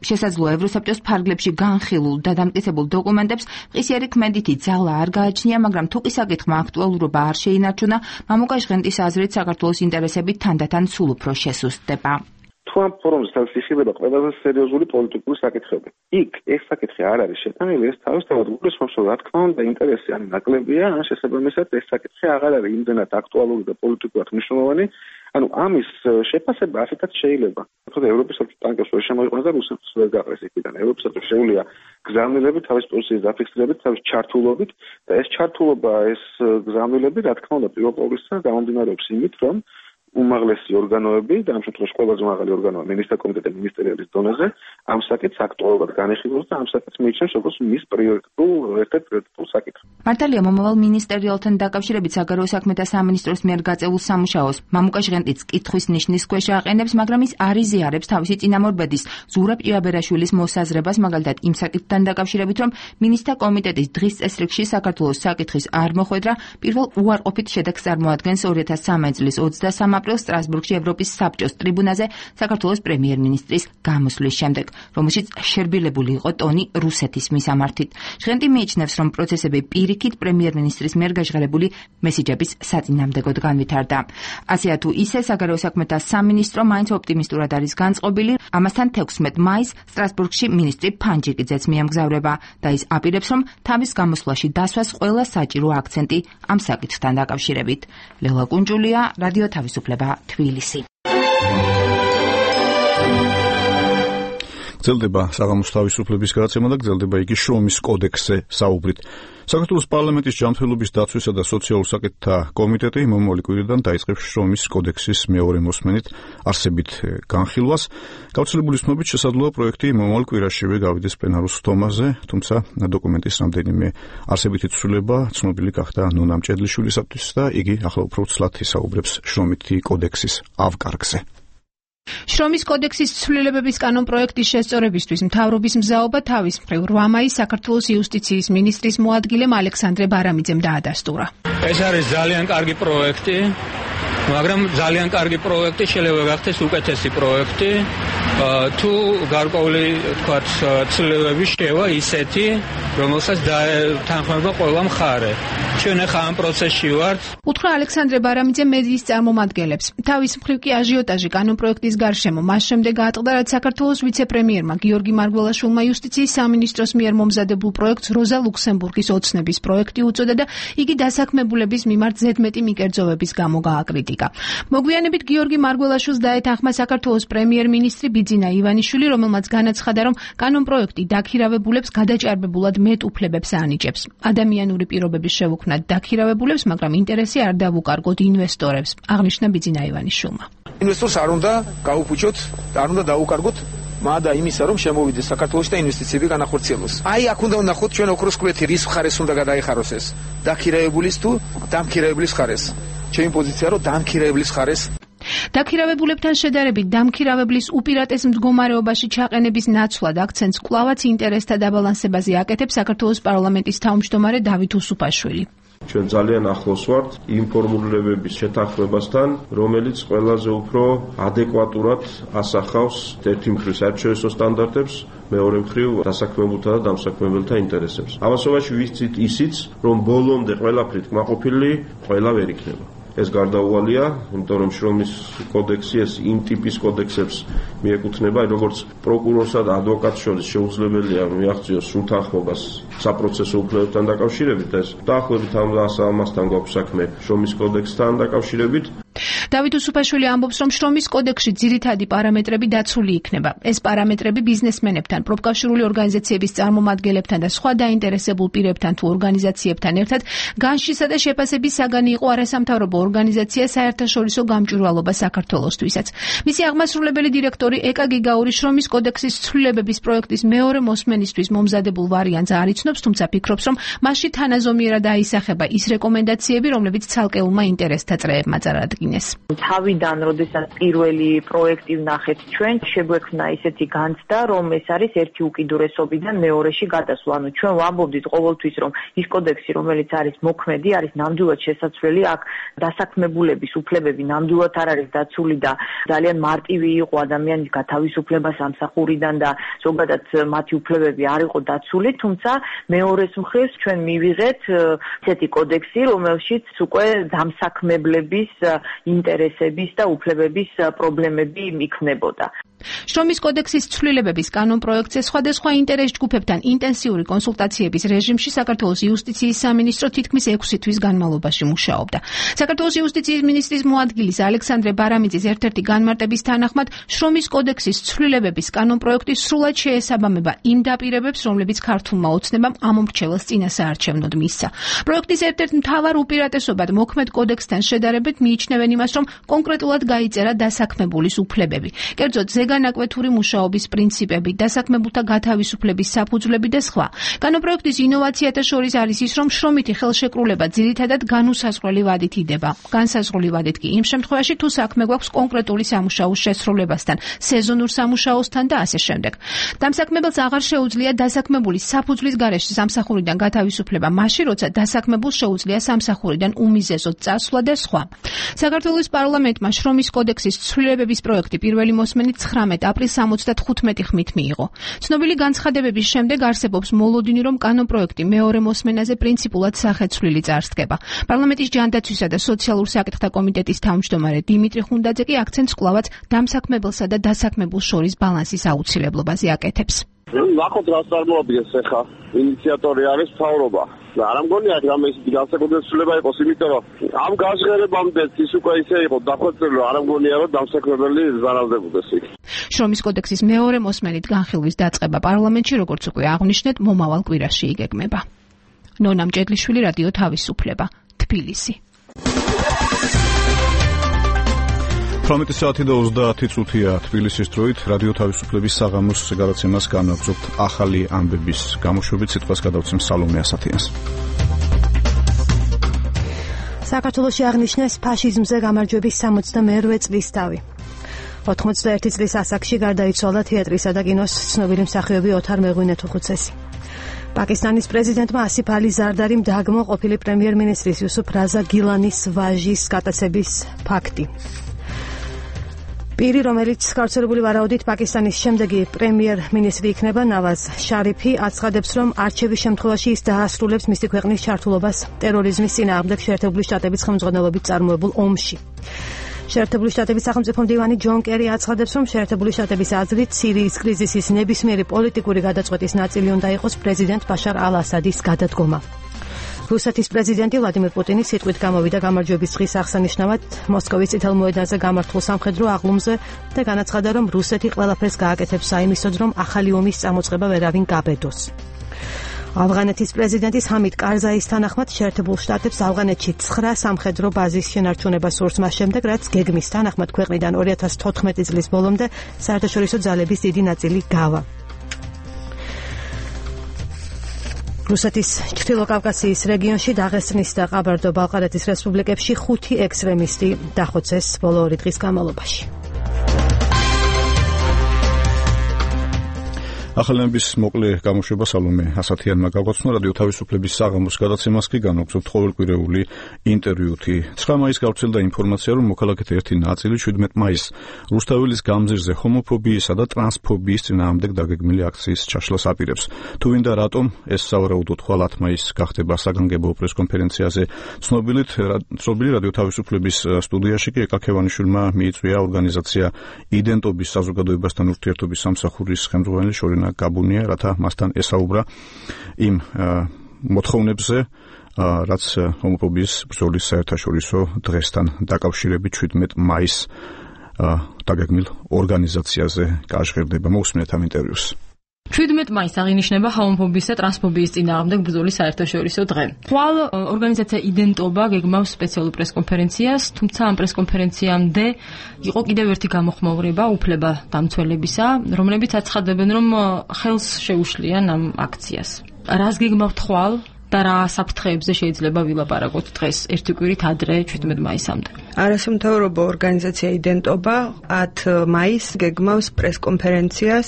შესაძლოა ევროსაბჭოს ფარგლებში განხილულ და დამტკიცებულ დოკუმენტებს მყისიერი ქმედითი ძალა არ გააჩნია, მაგრამ თუ კი საკითხმა აქტუალურობა არ შეინარჩუნა, მამუკა ჟღენტის აზრით საქართველოს ინტერესები თანდათან სულ უფრო შესუსტდება. თუ ამ ფორუმზე თავისიხილება ყველაზე სერიოზული პოლიტიკური საკითხები. იქ ეს საკითხი არ არის შეტანილი, ეს თავისთავად გულისხმობს, რომ რა თქმა უნდა ინტერესი ან ნაკლებია, ან შესაბამისად ეს საკითხი აღარ არის იმდენად აქტუალური და პოლიტიკურად მნიშვნელოვანი. ანუ ამის შეფასება ასეთაც შეიძლება. თუმცა ევროპის საბჭოს ტანკებს ვერ შემოიყვანეს და რუსეთს ვერ გაყრეს იქიდან. ევროპის საბჭოს შეუძლია გზავნილები თავის პოზიციის დაფიქსირებით, თავის ჩართულობით და ეს ჩართულობა, ეს გზავნილები, რა თქმა უნდა, პირველ ყოვლისა გამომდინარეობს იმით, რომ უმაღლესი ორგანოები და ამ შემთხვევაში ყველაზე მაღალი ორგანოა მინისტრთა კომიტეტი მინისტერიალის დონეზე ამ საკითხს აქტუალურად განიხილავს და ამ საკითხს მიიჩნევს როგორც მის პრიორიტეტულ ერთ-ერთ პრიორიტეტულ საკითხს. მართალია მომავალ მინისტერიალთან დაკავშირებით საგარეო საქმეთა სამინისტროს მიერ გაწეულ სამუშაოს მამუკა ჟღენტიც კითხვის ნიშნის ქვეშ აყენებს, მაგრამ ის არ იზიარებს თავისი წინამორბედის ზურაბ ჭიაბერაშვილის მოსაზრებას, მაგალითად იმ საკითხთან დაკავშირებით, რომ მინისტრთა კომიტეტის დღის წესრიგში საქართველოს საკითხის არ მოხვედრა პირველ უარყოფით შედეგს წარმოადგენს ორი ათას სამი წლის ოცდასამი აპრილს სტრასბურგში ევროპის საბჭოს ტრიბუნაზე საქართველოს პრემიერ-მინისტრის გამოსვლის შემდეგ, რომელშიც შერბილებული იყო ტონი რუსეთის მისამართით. ჟღენტი მიიჩნევს, რომ პროცესები პირი პირიქით პრემიერ-მინისტრის მიერ გაჟღერებული მესიჯების საწინააღმდეგოდ განვითარდა. ასეა თუ ისე, საგარეო საქმეთა სამინისტრო მაინც ოპტიმისტურად არის განწყობილი. ამასთან თექვსმეტ მაისს სტრასბურგში მინისტრი ფანჯიკიძეც მიემგზავრება და ის აპირებს, რომ თავის გამოსვლაში დასვას ყველა საჭირო აქცენტი ამ საკითხთან დაკავშირებით. ლელა კუნჯულია, რადიო თავისუფლება, თბილისი. გრძელდება საღამოს თავისუფლების გადაცემა და გრძელდება იგი შრომის კოდექსზე საუბრით. საქართველოს პარლამენტის ჯანმრთელობის დაცვისა და სოციალურ საკითხთა კომიტეტი მომავალი კვირიდან დაიწყებს შრომის კოდექსის მეორე მოსმენით არსებით განხილვას. გავრცელებული ცნობით შესაძლოა პროექტი მომავალ კვირაშივე გავიდეს პლენარულ სხდომაზე, თუმცა დოკუმენტის რამდენიმე არსებითი ცვლილება ცნობილი გახდა ნონა მჭედლიშვილისათვის და იგი ახლა უფრო ცლად ისაუბრებს შრომითი კოდექსის ავკარგზე. შრომის კოდექსის ცვლილებების კანონპროექტის შესწორებისთვის მთავრობის მზაობა თავის მხრივ რვა მაისს საქართველოს იუსტიციის მინისტრის მოადგილემ ალექსანდრე ბარამიძემ დაადასტურა. ეს არის ძალიან კარგი პროექტი, მაგრამ ძალიან კარგი პროექტი შეიძლება გახდეს უკეთესი პროექტი, თუ გარკვეული თქვათ ცვლილებები შევა ისეთი, რომელსაც თანხმდება ყველა მხარე. ჩვენ ახლა ამ პროცესში ვართ. უთხრა ალექსანდრე ბარამიძე მედიის წარმომადგენლებს. თავის მხრივ კი აჟიოტაჟი კანონპროექტის გარშემო მას შემდეგ აწყდა, რაც საქართველოს ვიცე-პრემიერმა გიორგი მარგველაშვილმა იუსტიციის სამინისტროს მიერ მომზადებულ პროექტს როზა ლუქსემბურგის ოცნების პროექტი უწოდა და იგი დასაქმებულების მიმართ ზედმეტი მიკერძოვების გამო გააკრიტიკა. მოგვიანებით გიორგი მარგველაშვილს დაეთანხმა საქართველოს პრემიერ-მინისტრი ბიძინა ივანიშვილი, რომელმაც განაცხადა, რომ კანონპროექტი დაქირავებულებს გადაჭარბებულად მეტ უფლებებს ანიჭებს. ადამიანური პირობების შევუქმნათ დაქირავებულებს, მაგრამ ინტერესი არ დავუკარგოთ ინვესტორებს, აღნიშნა ბიძინა ივანიშვილმა. ინვესტორს არ უნდა გაუფუჭოთ და არ უნდა დაუკარგოთ მადა იმისა, რომ შემოვიდეს საქართველოში და ინვესტიციები განახორციელოს. აი, აქ უნდა ვნახოთ ჩვენ ოქროს კვეთი რის მხარეს უნდა გადაიხაროს ეს. დაქირავებულის თუ დამქირავებლის მხარეს. ჩემი პოზიცია რომ დამქირავებლის მხარეს. დაქირავებულებთან შედარებით დამქირავებლის უპირატეს მდგომარეობაში ჩაყენების ნაცვლად აქცენტს კვლავაც ინტერესთა დაბალანსებაზე აკეთებს საქართველოს პარლამენტის თავმჯდომარე დავით უსუფაშვილი. ჩვენ ძალიან ახლოს ვართ იმ ფორმულირებების შეთანხმებასთან, რომელიც ყველაზე უფრო ადეკვატურად ასახავს ერთი მხრივ საერთაშორისო სტანდარტებს, მეორე მხრივ დასაქმებულთა და დამსაქმებელთა ინტერესებს. ამასობაში ვიცით ისიც, რომ ბოლომდე ყველაფრით კმაყოფილი ყველა ვერ იქნება. ეს გარდაუვალია, იმიტომ რომ შრომის კოდექსი ეს იმ ტიპის კოდექსებს მიეკუთვნება, როგორც პროკურორსა და ადვოკატს შორის შეუძლებელია მიაღწიოს სრულთანხმობას საპროცესო უფლებებთან დაკავშირებით, ეს დაახლოებით ამასთან გვაქვს საქმე შრომის კოდექსთან დაკავშირებით. დავით უსუფაშვილი ამბობს, რომ შრომის კოდექსში ძირითადი პარამეტრები დაცული იქნება. ეს პარამეტრები ბიზნესმენებთან, პროფკავშირული ორგანიზაციების წარმომადგენლებთან და სხვა დაინტერესებულ პირებთან თუ ორგანიზაციებთან ერთად განშისა და შეფასების საგანი იყო არასამთავრობო ორგანიზაცია საერთაშორისო გამჭვირვალობა საქართველოსთვისაც. მისი აღმასრულებელი დირექტორი ეკა გიგაური შრომის კოდექსის ცვლილებების პროექტის მეორე მოსმენისთვის მომზადებულ ვარიანტს არ იცნობს, თუმცა ფიქრობს, რომ მასში თანაზომიერად აისახება ის რეკომენდაციები, რომლებიც ცალკეულმა ინტერესთა წრეებმა წარადგინეს. თავიდან, როდესაც პირველი პროექტი ვნახეთ ჩვენ, შეგვექმნა ისეთი განცდა, რომ ეს არის ერთი უკიდურესობიდან მეორეში გადასვლა. ანუ ჩვენ ვამბობდით ყოველთვის, რომ ის კოდექსი, რომელიც არის მოქმედი, არის ნამდვილად შესაძლებელი, აქ დასაქმებულების უფლებები ნამდვილად არ არის დაცული და ძალიან მარტივი იყო ადამიანის გათავისუფლებას ამსახურიდან და ზოგადად მათი უფლებები არ იყო დაცული, თუმცა მეორეს მხრივ ჩვენ მივიღეთ ესეთი კოდექსი, რომელშიც უკვე დამსაქმებლების ინტერესების და უფლებების პრობლემები იქნებოდა. შრომის კოდექსის ცვლილებების კანონპროექტზე სხვადასხვა ინტერეს ჯგუფებთან ინტენსიური კონსულტაციების რეჟიმში საქართველოს იუსტიციის სამინისტრო თითქმის ექვსი თვის განმავლობაში მუშაობდა. საქართველოს იუსტიციის მინისტრის მოადგილის ალექსანდრე ბარამიძის ერთ-ერთი განმარტების თანახმად, შრომის კოდექსის ცვლილებების კანონპროექტი სრულად შეესაბამება იმ დაპირებებს, რომლებიც ქართულმა ოცნებამ ამ მომრჩეველს წინასაარჩევნოდ მისცა. პროექტის ერთ-ერთ მთავარ უპირატესობად მოქმედ კოდექსთან შედარებით მიიჩნევენ იმას, რომ კონკრეტულად გაიწერა დასაქმებულის უფლებები. კერძოდ ზეგანაკვეთური მუშაობის პრინციპები, დასაქმებულთა გათავისუფლების საფუძვლები და სხვა. კანონპროექტის ინოვაციათა შორის არის ის, რომ შრომითი ხელშეკრულება ძირითადად განუსაზღვრელი ვადით იდება. განსაზღვრელი ვადით კი იმ შემთხვევაში, თუ საქმე გვაქვს კონკრეტული სამუშაოს შესრულებასთან, სეზონურ სამუშაოსთან და ასე შემდეგ. დამსაქმებელს აღარ შეუძლია დასაქმებულის საფუძვლის გარეშე სამსახურიდან გათავისუფლება მაშინ, როცა დასაქმებულს შეუძლია სამსახურიდან უმიზეზოდ წასვლა და სხვა. საქართველოს პარლამენტმა შრომის კოდექსის ცვლილებების პროექტი პირველი მოსმენით ცხრა მესამე აპრილს სამოცდათხუთმეტი ხმით მიიღო. ცნობილი განცხადებების შემდეგ არსებობს მოლოდინი, რომ კანონპროექტი მეორე მოსმენაზე პრინციპულად სახეცვლილი წარსდგება. პარლამენტის ჯანდაცვისა და სოციალურ საკითხთა კომიტეტის თავმჯდომარე დიმიტრი ხუნდაძე კი აქცენტს კვლავაც დამსაქმებელსა და დასაქმებულს შორის ბალანსის აუცილებლობაზე აკეთებს. ნახოთ რა წარმოადგენს ახლა ინიციატორი არის მთავრობა. არ ამგონია რამე ისეთი განსაკუთრება იყოს, იმიტომ რომ ამ გაშღერებამდე ის უკვე ისე იყო დახვეწილი, რომ არ ამგონია რომ დამსაქმებელი ზარალდებოდეს იქ. შრომის კოდექსის მეორე მოსმენით განხილვის დაწყება პარლამენტში, როგორც უკვე აღვნიშნეთ, მომავალ კვირაში იგეგმება. ნონა მჭედლიშვილი, რადიო თავისუფლება, თბილისი. თვრამეტი საათი და ოცდაათი წუთია თბილისის დროით. რადიო თავისუფლების საღამოს გადაცემას განაგრძობთ ახალი ამბების გამოშვებით. სიტყვას გადავცემ სალომე ასათიანს. საქართველოში აღნიშნეს ფაშიზმზე გამარჯვების სამოცდამეერთე წლის თავი. ოთხმოცდაერთი წლის ასაკში გარდაიცვალა თეატრისა და კინოს ცნობილი მსახიობი ოთარ მეღვინეთუხუცესი. პაკისტანის პრეზიდენტმა ასიფ ალი ზარდარიმ დააგმო ყოფილი პრემიერ-მინისტრის იუსუფ რაზა გილანის ვაჟის გატაცების ფაქტი. პირი, რომელიც გავრცელებული ვარაუდით პაკისტანის შემდეგი პრემიერ-მინისტრი იქნება, ნავაზ შარიფი, აცხადებს, რომ არჩევის შემთხვევაში ის დაასრულებს მისი ქვეყნის ჩართულობას ტერორიზმის წინააღმდეგ შეერთებული შტატების ხელმძღვანელობით წარმოებულ ომში. შეერთებული შტატების სახელმწიფო მდივანი ჯონ კერი აცხადებს, რომ შეერთებული შტატების აზრით სირიის კრიზისის ნებისმიერი პოლიტიკური გადაწყვეტის ნაწილი უნდა იყოს პრეზიდენტ ბაშარ ალ-ასადის გადადგომა. რუსეთის პრეზიდენტი ვლადიმირ პუტინი სიტყვით გამოვიდა გამარჯვების დღის აღსანიშნავად მოსკოვის წითელ მოედანზე გამართულ სამხედრო აღლუმზე და განაცხადა, რომ რუსეთი ყველაფერს გააკეთებს საიმისოდ, რომ ახალი ომის წამოწყება ვერავინ გაბედოს. ავღანეთის პრეზიდენტის ჰამიდ კარზაის თანახმად შეერთებულ შტატებს ავღანეთში ცხრა სამხედრო ბაზის შენარჩუნება სურს მას შემდეგ, რაც გეგმის თანახმად ქვეყნიდან ორი ათას თოთხმეტი წლის ბოლომდე საერთაშორისო ძალების დიდი ნაწილი გავა. რუსეთის ჩრდილოკავკასიის რეგიონში დაღესტნის და ყაბარდო-ბალყარეთის რესპუბლიკებში ხუთი ექსტრემისტი დახოცეს ბოლო ორი დღის განმავლობაში. ახალების მოკლე გამოშვება სალომე ასათიანმა გაგვაცნო. რადიო თავისუფლების საღამოს გადაცემას კი განაგრძობთ ყოველკვირეული ინტერვიუთი. ცხრა მაისს გავრცელდა ინფორმაცია, რომ მოქალაქეთა ერთი ნაწილი შვიდმეტ მაისს რუსთაველის გამზირზე ჰომოფობიისა და ტრანსფობიის წინააღმდეგ დაგეგმილი აქციის ჩაშლას აპირებს. თუ ვინდა რატომ ეს სავარაუდოდ ხვალ ათ მაისს გახდება საგანგებო პრესკონფერენციაზე, ცნობილით ცნობილი რადიო თავისუფლების სტუდიაში კი ეკაქევანიშვილმა მიიწვია ორგანიზაცია იდენტობის საზოგადოებასთან ურთიერთობის სამსახურის ხელმძღვანელი შორინა გაბუნია, რათა მასთან ესაუბრა იმ მოთხოვნებზე, რაც ჰომოფობიის ბრძოლის საერთაშორისო დღესთან დაკავშირებით შვიდმეტ მაისს დაგეგმილ ორგანიზაციაზე გაჟღერდება. მოусმინეთ ამ ინტერვიუს. შვიდმეტ მაისს აღინიშნება ჰომოფობიის და ტრანსფობიის წინააღმდეგ ბრძოლის საერთაშორისო დღე. ხვალ ორგანიზაცია იდენტობა გეგმავს სპეციალურ პრესკონფერენციას, თუმცა ამ პრესკონფერენციამდე იყო კიდევ ერთი გამოხმაურება უფლება დამცველებისა, რომლებიც აცხადებენ, რომ ხელს შეუშლიან ამ აქციას. რას გეგმავთ ხვალ და რა საფრთხეებზე შეიძლება ვილაპარაკოთ დღეს ერთი კვირით ადრე შვიდმეტ მაისამდე. არასამთავრობო ორგანიზაცია იდენტობა ათ მაისს გეგმავს პრესკონფერენციას,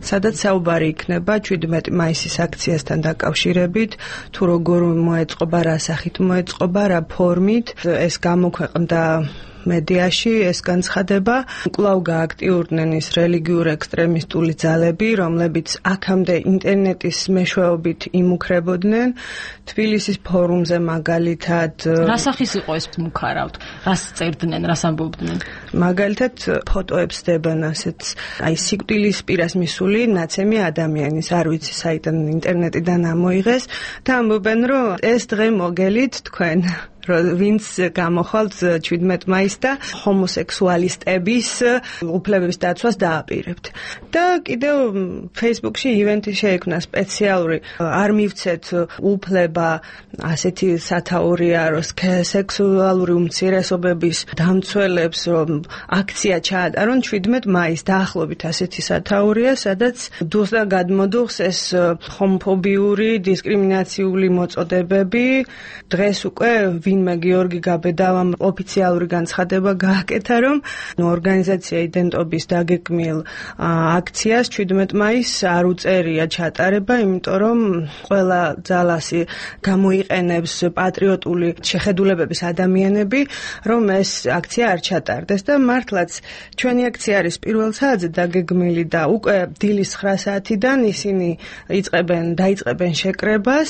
სადაც საუბარი იქნება შვიდმეტ მაისის აქციასთან დაკავშირებით, თუ როგორ მოეწყობა, რა სახით მოეწყობა, რა ფორმით ეს გამოქვეყნდა მედიაში ეს განცხადება. კვლავ გააქტიურდნენ ის რელიგიურ ექსტრემისტული ძალები, რომლებიც აქამდე ინტერნეტის მეშვეობით იმუქრებოდნენ. თბილისის ფორუმზე მაგალითად რა სახის იყო ეს მუქარავთ? რას წერდნენ, რას ამბობდნენ? მაგალითად ფოტოებს დებენ ასეთ აი სიკვდილის პირას მისული ნაცემი ადამიანის, არ ვიცი საიდან ინტერნეტიდან ამოიღეს და ამბობენ, რომ ეს დღე მოგელით თქვენ ვინც გამოხვალთ შვიდმეტ მაისს და ჰომოსექსუალისტების უფლებების დაცვას დააპირებთ. და კიდევ Facebook-ში ივენთი შეიქმნა სპეციალური, არ მივცეთ უფლება ასეთი სათაურია, რომ სექსუალური უმცირესობების დამცველებს რომ აქცია ჩაატარონ შვიდმეტ მაისს. დაახლოებით ასეთი სათაურია, სადაც დუხს და გადმოდუხს ეს ჰომოფობიური, დისკრიმინაციული მოწოდებები დღეს უკვე ვინმე გიორგი გაბედავამ ოფიციალური განცხადება გააკეთა, რომ ორგანიზაცია იდენტობის დაგეგმილ აქციას შვიდმეტ მაისს არ უწერია ჩატარება, იმიტომ რომ ყველა ძალასი გამოიყენებს პატრიოტული შეხედულებების ადამიანები, რომ ეს აქცია არ ჩატარდეს და მართლაც ჩვენი აქცია არის პირველ საათზე დაგეგმილი და უკვე დილის ცხრა საათიდან ისინი იწყებენ დაიწყებენ შეკრებას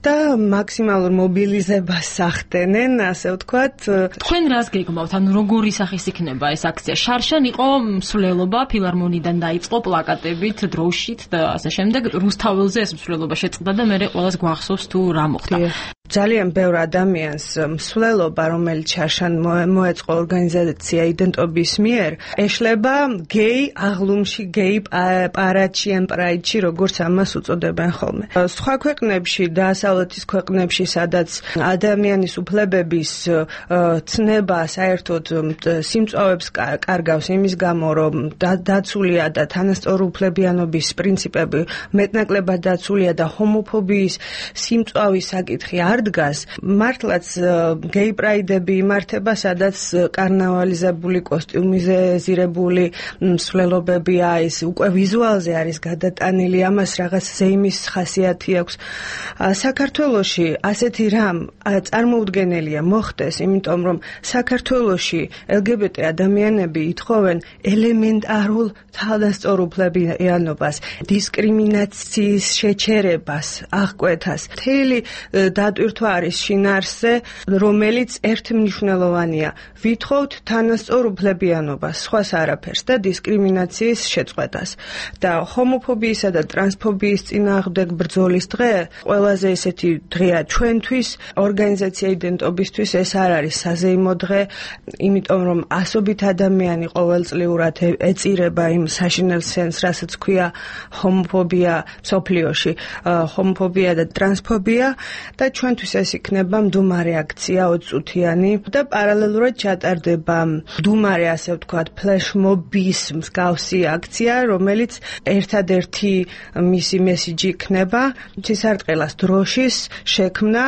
და მაქსიმალურ მობილიზებას ახდენენ, ასე ვთქვათ. თქვენ რას გეგმავთ? ანუ როგორი სახის იქნება ეს აქცია? შარშან იყო მსვლელობა, ფილარმონიდან დაიწყო პლაკატებით, დროშით და ასე შემდეგ. რუსთაველზე ეს მსვლელობა შეწყდა და მე ყველას გვახსოვს თუ რა მოხდა. ძალიან ბევრ ადამიანს მსვლელობა, რომელიც შარშან მოეწყო ორგანიზაცია იდენტობის მიერ, ეშლება გეი აღლუმში, გეი პარადში ან პრაიდში, როგორც ამას უწოდებენ ხოლმე. სხვა ქვეყნებში და დასავლეთის ქვეყნებში, სადაც ადამიანის უფლებების ცნება საერთოდ სიმწვავებს კარგავს იმის გამო, რომ დაცულია და თანასწორუფლებიანობის პრინციპები მეტნაკლებად დაცულია და ჰომოფობიის სიმწვავის საკითხი არ დგას, მართლაც გეი პრაიდები იმართება, სადაც კარნავალიზებული კოსტიუმიზირებული მსვლელობებია, ის უკვე ვიზუალზე არის გადატანილი, ამას რაღაც ზეიმის ხასიათი აქვს. საქართველოში ასეთი რამ წარმოუდგენელია მოხდეს, იმიტომ რომ საქართველოში ელგებეტე ადამიანები ითხოვენ ელემენტარულ თანასწორუფლებიანობას, დისკრიმინაციის შეჩერებას, აღკვეთას. მთელი დატვირთვა არის შინაარსზე, რომელიც ერთმნიშვნელოვანია. ვითხოვთ თანასწორუფლებიანობას, სხვას არაფერს და დისკრიმინაციის შეწყვეტას. და ჰომოფობიისა და ტრანსფობიის წინააღმდეგ ბრძოლის დღე ყველაზე ესეთი დღეა ჩვენთვის, ორგანიზაცია იდენტობისთვის ეს არ არის საზეიმო დღე, იმიტომ რომ ასობით ადამიანი ყოველწლიურად ეწირება იმ საშინელ სენს, რასაც ქვია ჰომოფობია მსოფლიოში, ჰომოფობია და ტრანსფობია და ჩვენთვის ეს იქნება მდუმარე აქცია ოცწუთიანი და პარალელურად ჩატარდება მდუმარე, ასე ვთქვათ, ფლეშმობის მსგავსი აქცია, რომელიც ერთადერთი მისი მესიჯი იქნება ცისარტყელას დროშის შექმნა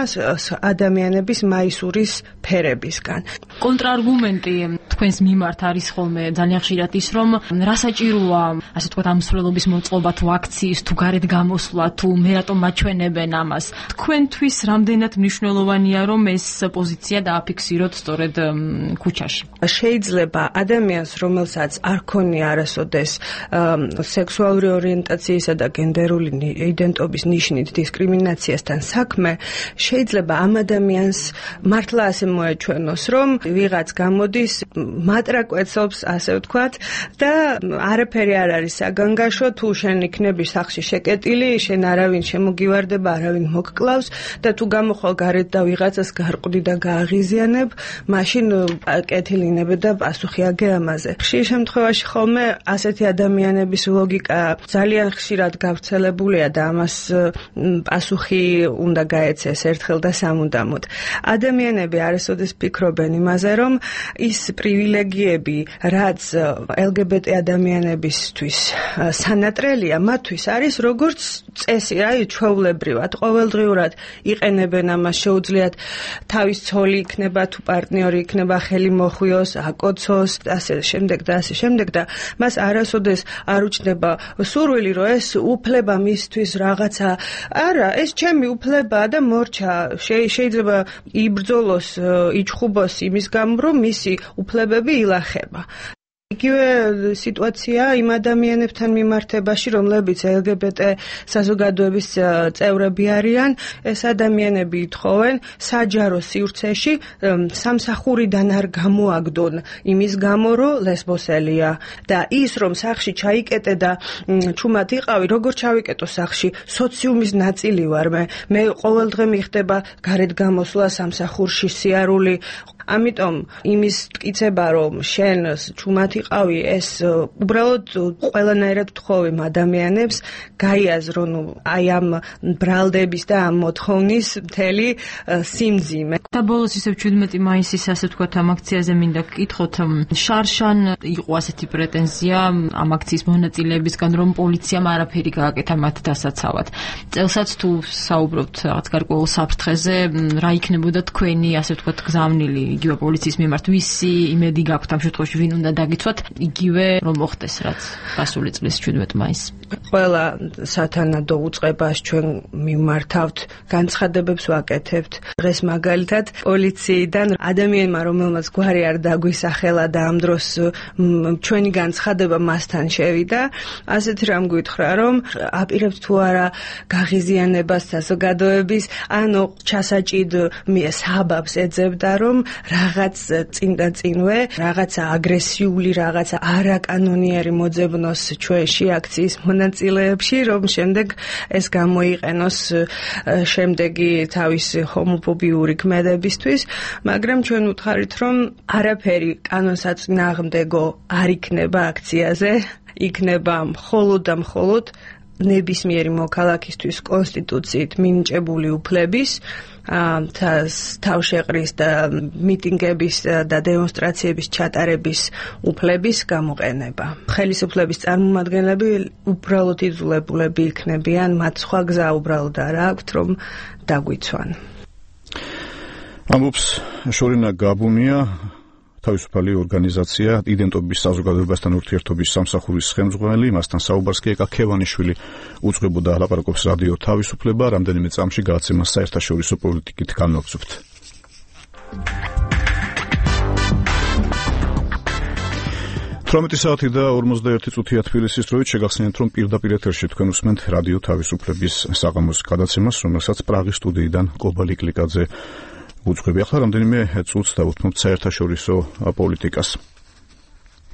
ადამიანების მაისურის ფერებისგან. კონტრარგუმენტი თქვენს მიმართ არის ხოლმე ძალიან ხშირად ის, რომ რა საჭიროა, ასე ვთქვათ, ამ მსვლელობის მოწყობა თუ აქციის თუ გარეთ გამოსვლა თუ მე რატომ მაჩვენებენ ამას. თქვენთვის რამდენად მნიშვნელოვანია, რომ ეს პოზიცია დააფიქსიროთ სწორედ ქუჩაში? შეიძლება ადამიანს, რომელსაც არ ქონია არასოდეს სექსუალური ორიენტაციისა და გენდერული იდენტობის ნიშნით დისკრიმინაციასთან საქმე, შეიძლება ამ ადამიანს მართლა ასე მოეჩვენოს, რომ ვიღაც გამოდის, მატრაკვეცობს, ასე ვთქვათ, და არაფერი არ არის საგანგაშო, თუ შენ იქნები სახში შეკეტილი, შენ არავინ შემოგივარდება, არავინ მოგკლავს და თუ გამოხვალ გარეთ და ვიღაცას გარყვდი და გააღიზიანებ, მაშინ კეთილინებ და პასუხი აგე ამაზე. ხშირ შემთხვევაში ხოლმე ასეთი ადამიანების ლოგიკა ძალიან ხშირად გავრცელებულია და ამას პასუხი უნდა გაეცეს ერთხელ და სამუდამოდ. ადამიანები არასოდეს ფიქრობენ იმაზე, რომ ის პრივილეგიები, რაც ელგებეტე ადამიანებისთვის სანატრელია, მათთვის არის როგორც წესი, აი ჩვეულებრივად, ყოველდღიურად იყენებენ ამას, შეუძლიათ თავის ცოლი იქნება თუ პარტნიორი იქნება, ხელი მოხვიოს, აკოცოს, ასე შემდეგ და ასე შემდეგ და მას არასოდეს არ უჩნდება სურვილი, რომ ეს უფლება მისთვის რაღაცა, არა, ეს ჩემი უფლებაა და მორჩა, შეიძლება იბრძოლოს, იჩხუბოს იმის გამო, რომ მისი უფლებები ილახება. იგივე სიტუაცია იმ ადამიანებთან მიმართებაში, რომლებიც ელგებეტე საზოგადოების წევრები არიან, ეს ადამიანები ითხოვენ საჯარო სივრცეში სამსახურიდან არ გამოაგდონ იმის გამო, რომ ლესბოსელია და ის, რომ სახში ჩაიკეტე და ჩუმად იყავი, როგორ ჩავიკეტო სახში, სოციუმის ნაწილი ვარ მე, მე ყოველდღე მიხდება გარეთ გამოსვლა სამსახურში, სიარული. ამიტომ იმის მტკიცება, რომ შენ ჩუმად იყავი, ეს უბრალოდ ყველანაირად ვთხოვი ადამიანებს გაიაზრო, ნუ აი ამ ბრალდების და ამ მოთხოვნის მთელი სიმძიმე. და ბოლოს ისევ ჩვიდმეტი მაისის, ასე ვთქვათ, ამ აქციაზე მინდა გკითხოთ, შარშან იყო ასეთი პრეტენზია ამ აქციის მონაწილეებისგან, რომ პოლიციამ არაფერი გააკეთა მათ დასაცავად. წელსაც თუ საუბრობთ რაღაც გარკვეულ საფრთხეზე, რა იქნებოდა თქვენი, ასე ვთქვათ, გზავნილი იგივე პოლიციის მიმართ, ვისი იმედი გაქვთ ამ შემთხვევაში, ვინ უნდა დაგიცვათ, იგივე რომ მოხდეს რაც გასული წლის შვიდმეტ მაისს. ყველა სათანადო უწყებას ჩვენ მიმართავთ, განცხადებებს ვაკეთებთ. დღეს მაგალითად პოლიციიდან ადამიანმა, რომელმაც გვარი არ დაგვისახელა და ამ დროს ჩვენი განცხადება მასთან შევიდა, ასეთ რამ გითხრა, რომ აპირებთ თუ არა გაღიზიანებას საზოგადოების, ანუ ჩასაჭიდ საბაბს ეძებდა, რომ რაღაც წინდა წინვე, რაღაცა აგრესიული, რაღაცა არაკანონიერი მოძებნოს ჩვენში აქციის მონაწილეებში, რომ შემდეგ ეს გამოიყენოს შემდეგი თავისი ჰომოფობიური ქმედებისთვის, მაგრამ ჩვენ ვუთხარით, რომ არაფერი კანონსაწინააღმდეგო არ იქნება აქციაზე, იქნება მხოლოდ და მხოლოდ ნებისმიერი მოქალაქისთვის კონსტიტუციით მინიჭებული უფლების თავშეყრის და მიტინგების და დემონსტრაციების ჩატარების უფლების გამოყენება. ხელისუფლების წარმომადგენლები უბრალოდ იძულებულები იქნებიან, მათ სხვა გზა უბრალოდ არ აქვთ, რომ დაგვიცვან. ამბობს შორინა გაბუნია, თავისუფალი ორგანიზაცია იდენტობის საზოგადოებასთან ურთიერთობის სამსახურის ხელმძღვანელი, მასთან საუბარს კი ეკა ქევანიშვილი უძღვებოდა ლაპარაკობს რადიო თავისუფლება, რამდენიმე წამში გააცემა საერთაშორისო პოლიტიკით განმოგცვით. თვრამეტი საათი და ორმოცდაერთი წუთია თბილისის დროით შეგახსენებთ, რომ პირდაპირ ეთერში თქვენ უსმენთ რადიო თავისუფლების საღამოს გადაცემას, რომელსაც პრაღის სტუდიიდან კობალი კლიკაძე უძღვები. ახლა რამდენიმე წუთს დავუთმობთ საერთაშორისო პოლიტიკას.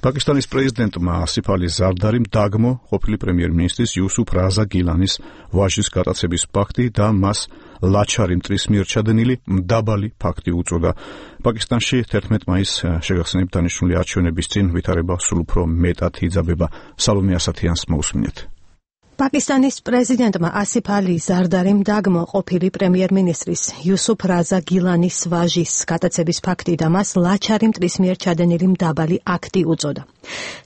პაკისტანის პრეზიდენტმა ასიფ ალი ზარდარიმ დაგმო ყოფილი პრემიერ-მინისტრის იუსუფ რაზა გილანის ვაჟის გატაცების ფაქტი და მას ლაჩარი მტრის მიერ ჩადენილი მდაბალი ფაქტი უწოდა. პაკისტანში თერთმეტ მაისს შეგახსენებთ დანიშნული არჩევნების წინ ვითარება სულ უფრო მეტად იძაბება. სალომე ასათიანს მოусმინეთ. პაკისტანის პრეზიდენტმა ასიფ ალი ზარდარიმ დაგმო ყოფილი პრემიერ-მინისტრის იუსუფ რაზა გილანის ვაჟის გატაცების ფაქტი და მას ლაჩარი მტრის მიერ ჩადენილი მდაბალი აქტი უწოდა.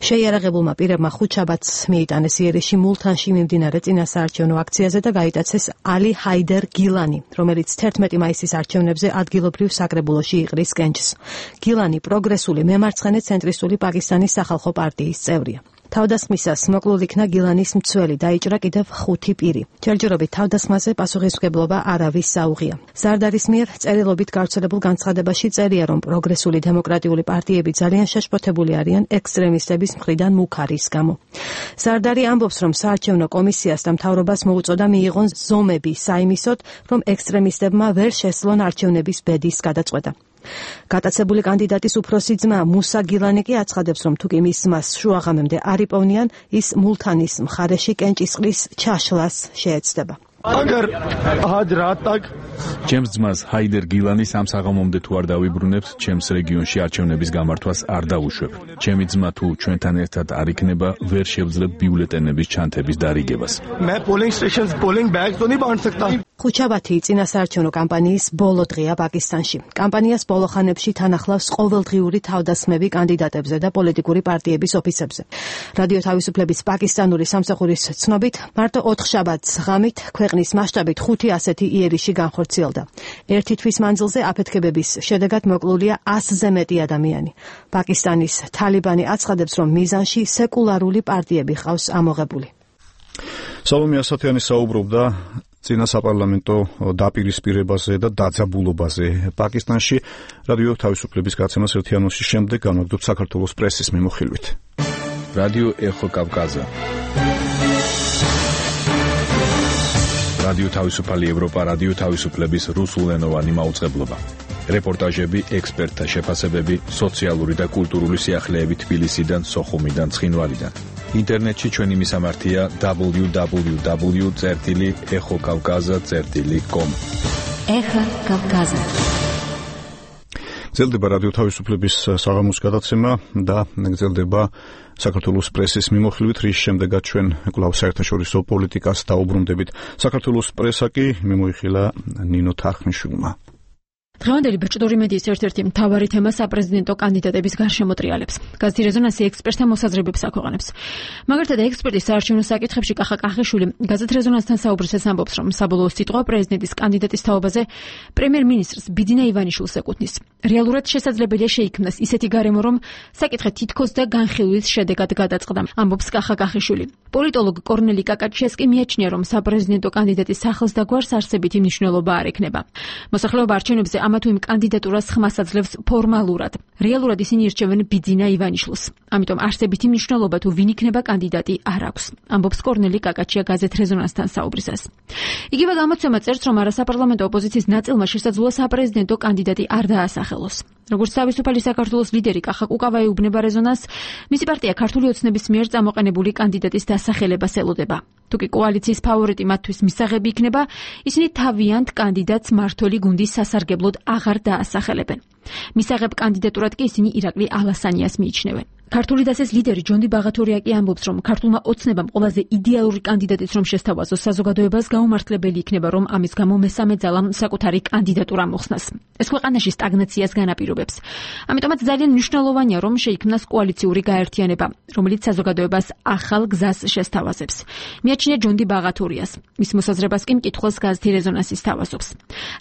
შეიარაღებულმა პირებმა ხუთშაბათს მიიტანეს იერიში მულთანში მიმდინარე წინასაარჩევნო აქციაზე და გაიტაცეს ალი ჰაიდერ გილანი, რომელიც თერთმეტი მაისის არჩევნებზე ადგილობრივ საკრებულოში იყრის კენჭს. გილანი პროგრესული მემარცხენე ცენტრისტული პაკისტანის სახალხო პარტიის წევრია. თავდასხმისას მოკლულ იქნა გილანის მცველი, დაიჭრა კიდევ ხუთი პირი. ჯერჯერობით თავდასხმაზე პასუხისმგებლობა არავის საუღია. ზარდარის მიერ წერილობით გავრცელებულ განცხადებაში წერია, რომ პროგრესული დემოკრატიული პარტიები ძალიან შეშფოთებული არიან ექსტრემისტების მხრიდან მუქარის გამო. ზარდარი ამბობს, რომ საარჩევნო კომისიას და მთავრობას მოუწოდა მიიღონ ზომები საიმისოდ, რომ ექსტრემისტებმა ვერ შესძლონ არჩევნების ბედის გადაწყვეტა. გატაცებული კანდიდატის უფროსი ძმა მუსა გილანი კი აცხადებს, რომ თუ კი მის ძმას შუაღამემდე არ იპოვნიან, ის მულთანის მხარეში კენჭისყრის ჩაშლას შეეცდება. აგარ ჰაჯ რატაკ ჩემს ძმას ჰაიდერ გილანის ამ საღამომდე თუ არ დავიბრუნებთ, ჩემს რეგიონში არჩევნების გამართვას არ დავუშვებ. ჩემი ძმა თუ ჩვენთან ერთად არ იქნება, ვერ შევძლებ ბიულეტენების ჩანთების დარიგებას. მე პოლინგ სტეიშენს პოლინგ ბაგს დონი ბან სექტა. ხუთშაბათი წინასაარჩევნო კამპანიის ბოლო დღეა პაკისტანში. კამპანიას ბოლო ხანებში თან ახლავს ყოველდღიური თავდასხმები კანდიდატებზე და პოლიტიკური პარტიების ოფისებზე. რადიო თავისუფლების პაკისტანური სამსახურის ცნობით, მარტო ოთხშაბათს ღამით ქვეყნის მასშტაბით ხუთი ასეთი იერიში განხორციელდა. ერთი თვის მანძილზე აფეთქებების შედეგად მოკლულია ასზე მეტი ადამიანი. პაკისტანის თალიბანი აცხადებს, რომ მიზანში სეკულარული პარტიები ყავს ამოღებული. სალომე ასათიანი საუბრობდა წინა საპარლამენტო დაპირისპირებაზე და დაძაბულობაზე პაკისტანში. რადიო თავისუფლების გაცემას ერთიანოსის შემდეგ განვაგრძობთ საქართველოს პრესის მიმოხილვით. რადიო ეხო კავკაზა. რადიო თავისუფალი ევროპა, რადიო თავისუფლების რუსულენოვანი მაუწყებლობა. რეპორტაჟები, ექსპერტთა შეფასებები, სოციალური და კულტურული სიახლეები თბილისიდან, სოხუმიდან, ცხინვალიდან. ინტერნეტში ჩვენი მისამართია დაბლიუ დაბლიუ დაბლიუ წერტილი ეხო კავკაზა წერტილი კომ. ეხო კავკაზა. გრძელდება რადიო თავისუფლების საღამოს გადაცემა და გრძელდება საქართველოს პრესის მიმოხილვით, რის შემდეგაც ჩვენ კვლავ საერთაშორისო პოლიტიკას დაუბრუნდებით. საქართველოს პრესა კი მიმოიხილა ნინო თარხნიშვილმა. დღევანდელი ბეჭდური მედიის ერთ-ერთი მთავარი თემა საპრეზიდენტო კანდიდატების გარშემო ტრიალებს. გაზეთი რეზონანსი ექსპერტთა მოსაზრებებს აქვეყნებს. მაგალითად, ექსპერტის საარჩევნო საკითხებში კახა კახიშვილი გაზეთ რეზონანსთან საუბრისას ამბობს, რომ საბოლოო სიტყვა პრეზიდენტის კანდიდატის თაობაზე პრემიერ-მინისტრს ბიძინა ივანიშვილს ეკუთვნის. რეალურად შესაძლებელია შეიქმნას ისეთი გარემო, რომ საკითხი თითქოს და განხილვის შედეგად გადაწყდა, ამბობს კახა კახიშვილი. პოლიტოლოგ კორნელი კაკაჩესკი მიაჩნია, რომ საპრეზიდენტო კანდიდატის სახელს და გვარს არსებითი მნიშვნელობა არ ექნება. მოსახლეობა არჩევნებზე ამა თუ იმ კანდიდატურას ხმას აძლევს ფორმალურად. რეალურად ისინი ირჩევენ ბიძინა ივანიშვილს. ამიტომ არსებითი მნიშვნელობა თუ ვინ იქნება კანდიდატი არ აქვს, ამბობს კორნელი კაკაჩია გაზეთ რეზონანსთან საუბრისას. იგივე გამოცემა წერს, რომ არასაპარლამენტო ოპოზიციის ნაწილმა შესაძლოა საპრეზიდენტო კანდიდატი არ დაასახელოს. როგორც თავისუფალი საქართველოს ლიდერი კახა კუკავაი უბნება რეზონანსს, მისი პარტია ქართული ოცნების მიერ წამოყენებული კანდიდატის დასახელებას ელოდება. თუკი კოალიციის ფავორიტი მათთვის მისაღები იქნება, ისინი თავიანთ კანდიდატს მართველი გუნდის სასარგებლოდ აღარ დაასახელებენ. მისაღებ კანდიდატურად კი ისინი ირაკლი ალასანიას მიიჩნევენ. ქართული დასის ლიდერი ჯონდი ბაღათურია კი ამბობს, რომ ქართულმა ოცნებამ ყველაზე იდეალური კანდიდატიც რომ შესთავაზოს საზოგადოებას, გაუმართლებელი იქნება, რომ ამის გამო მესამე ძალამ საკუთარი კანდიდატურა მოხსნას. ეს ქვეყანაში სტაგნაციას განაპირობებს. ამიტომაც ძალიან მნიშვნელოვანია, რომ შეიქმნას კოალიციური გაერთიანება, რომელიც საზოგადოებას ახალ გზას შესთავაზებს. მიაჩნია ჯონდი ბაღათურიას. მის მოსაზრებას კი მკითხველს გაზეთი რეზონანსი სთავაზობს.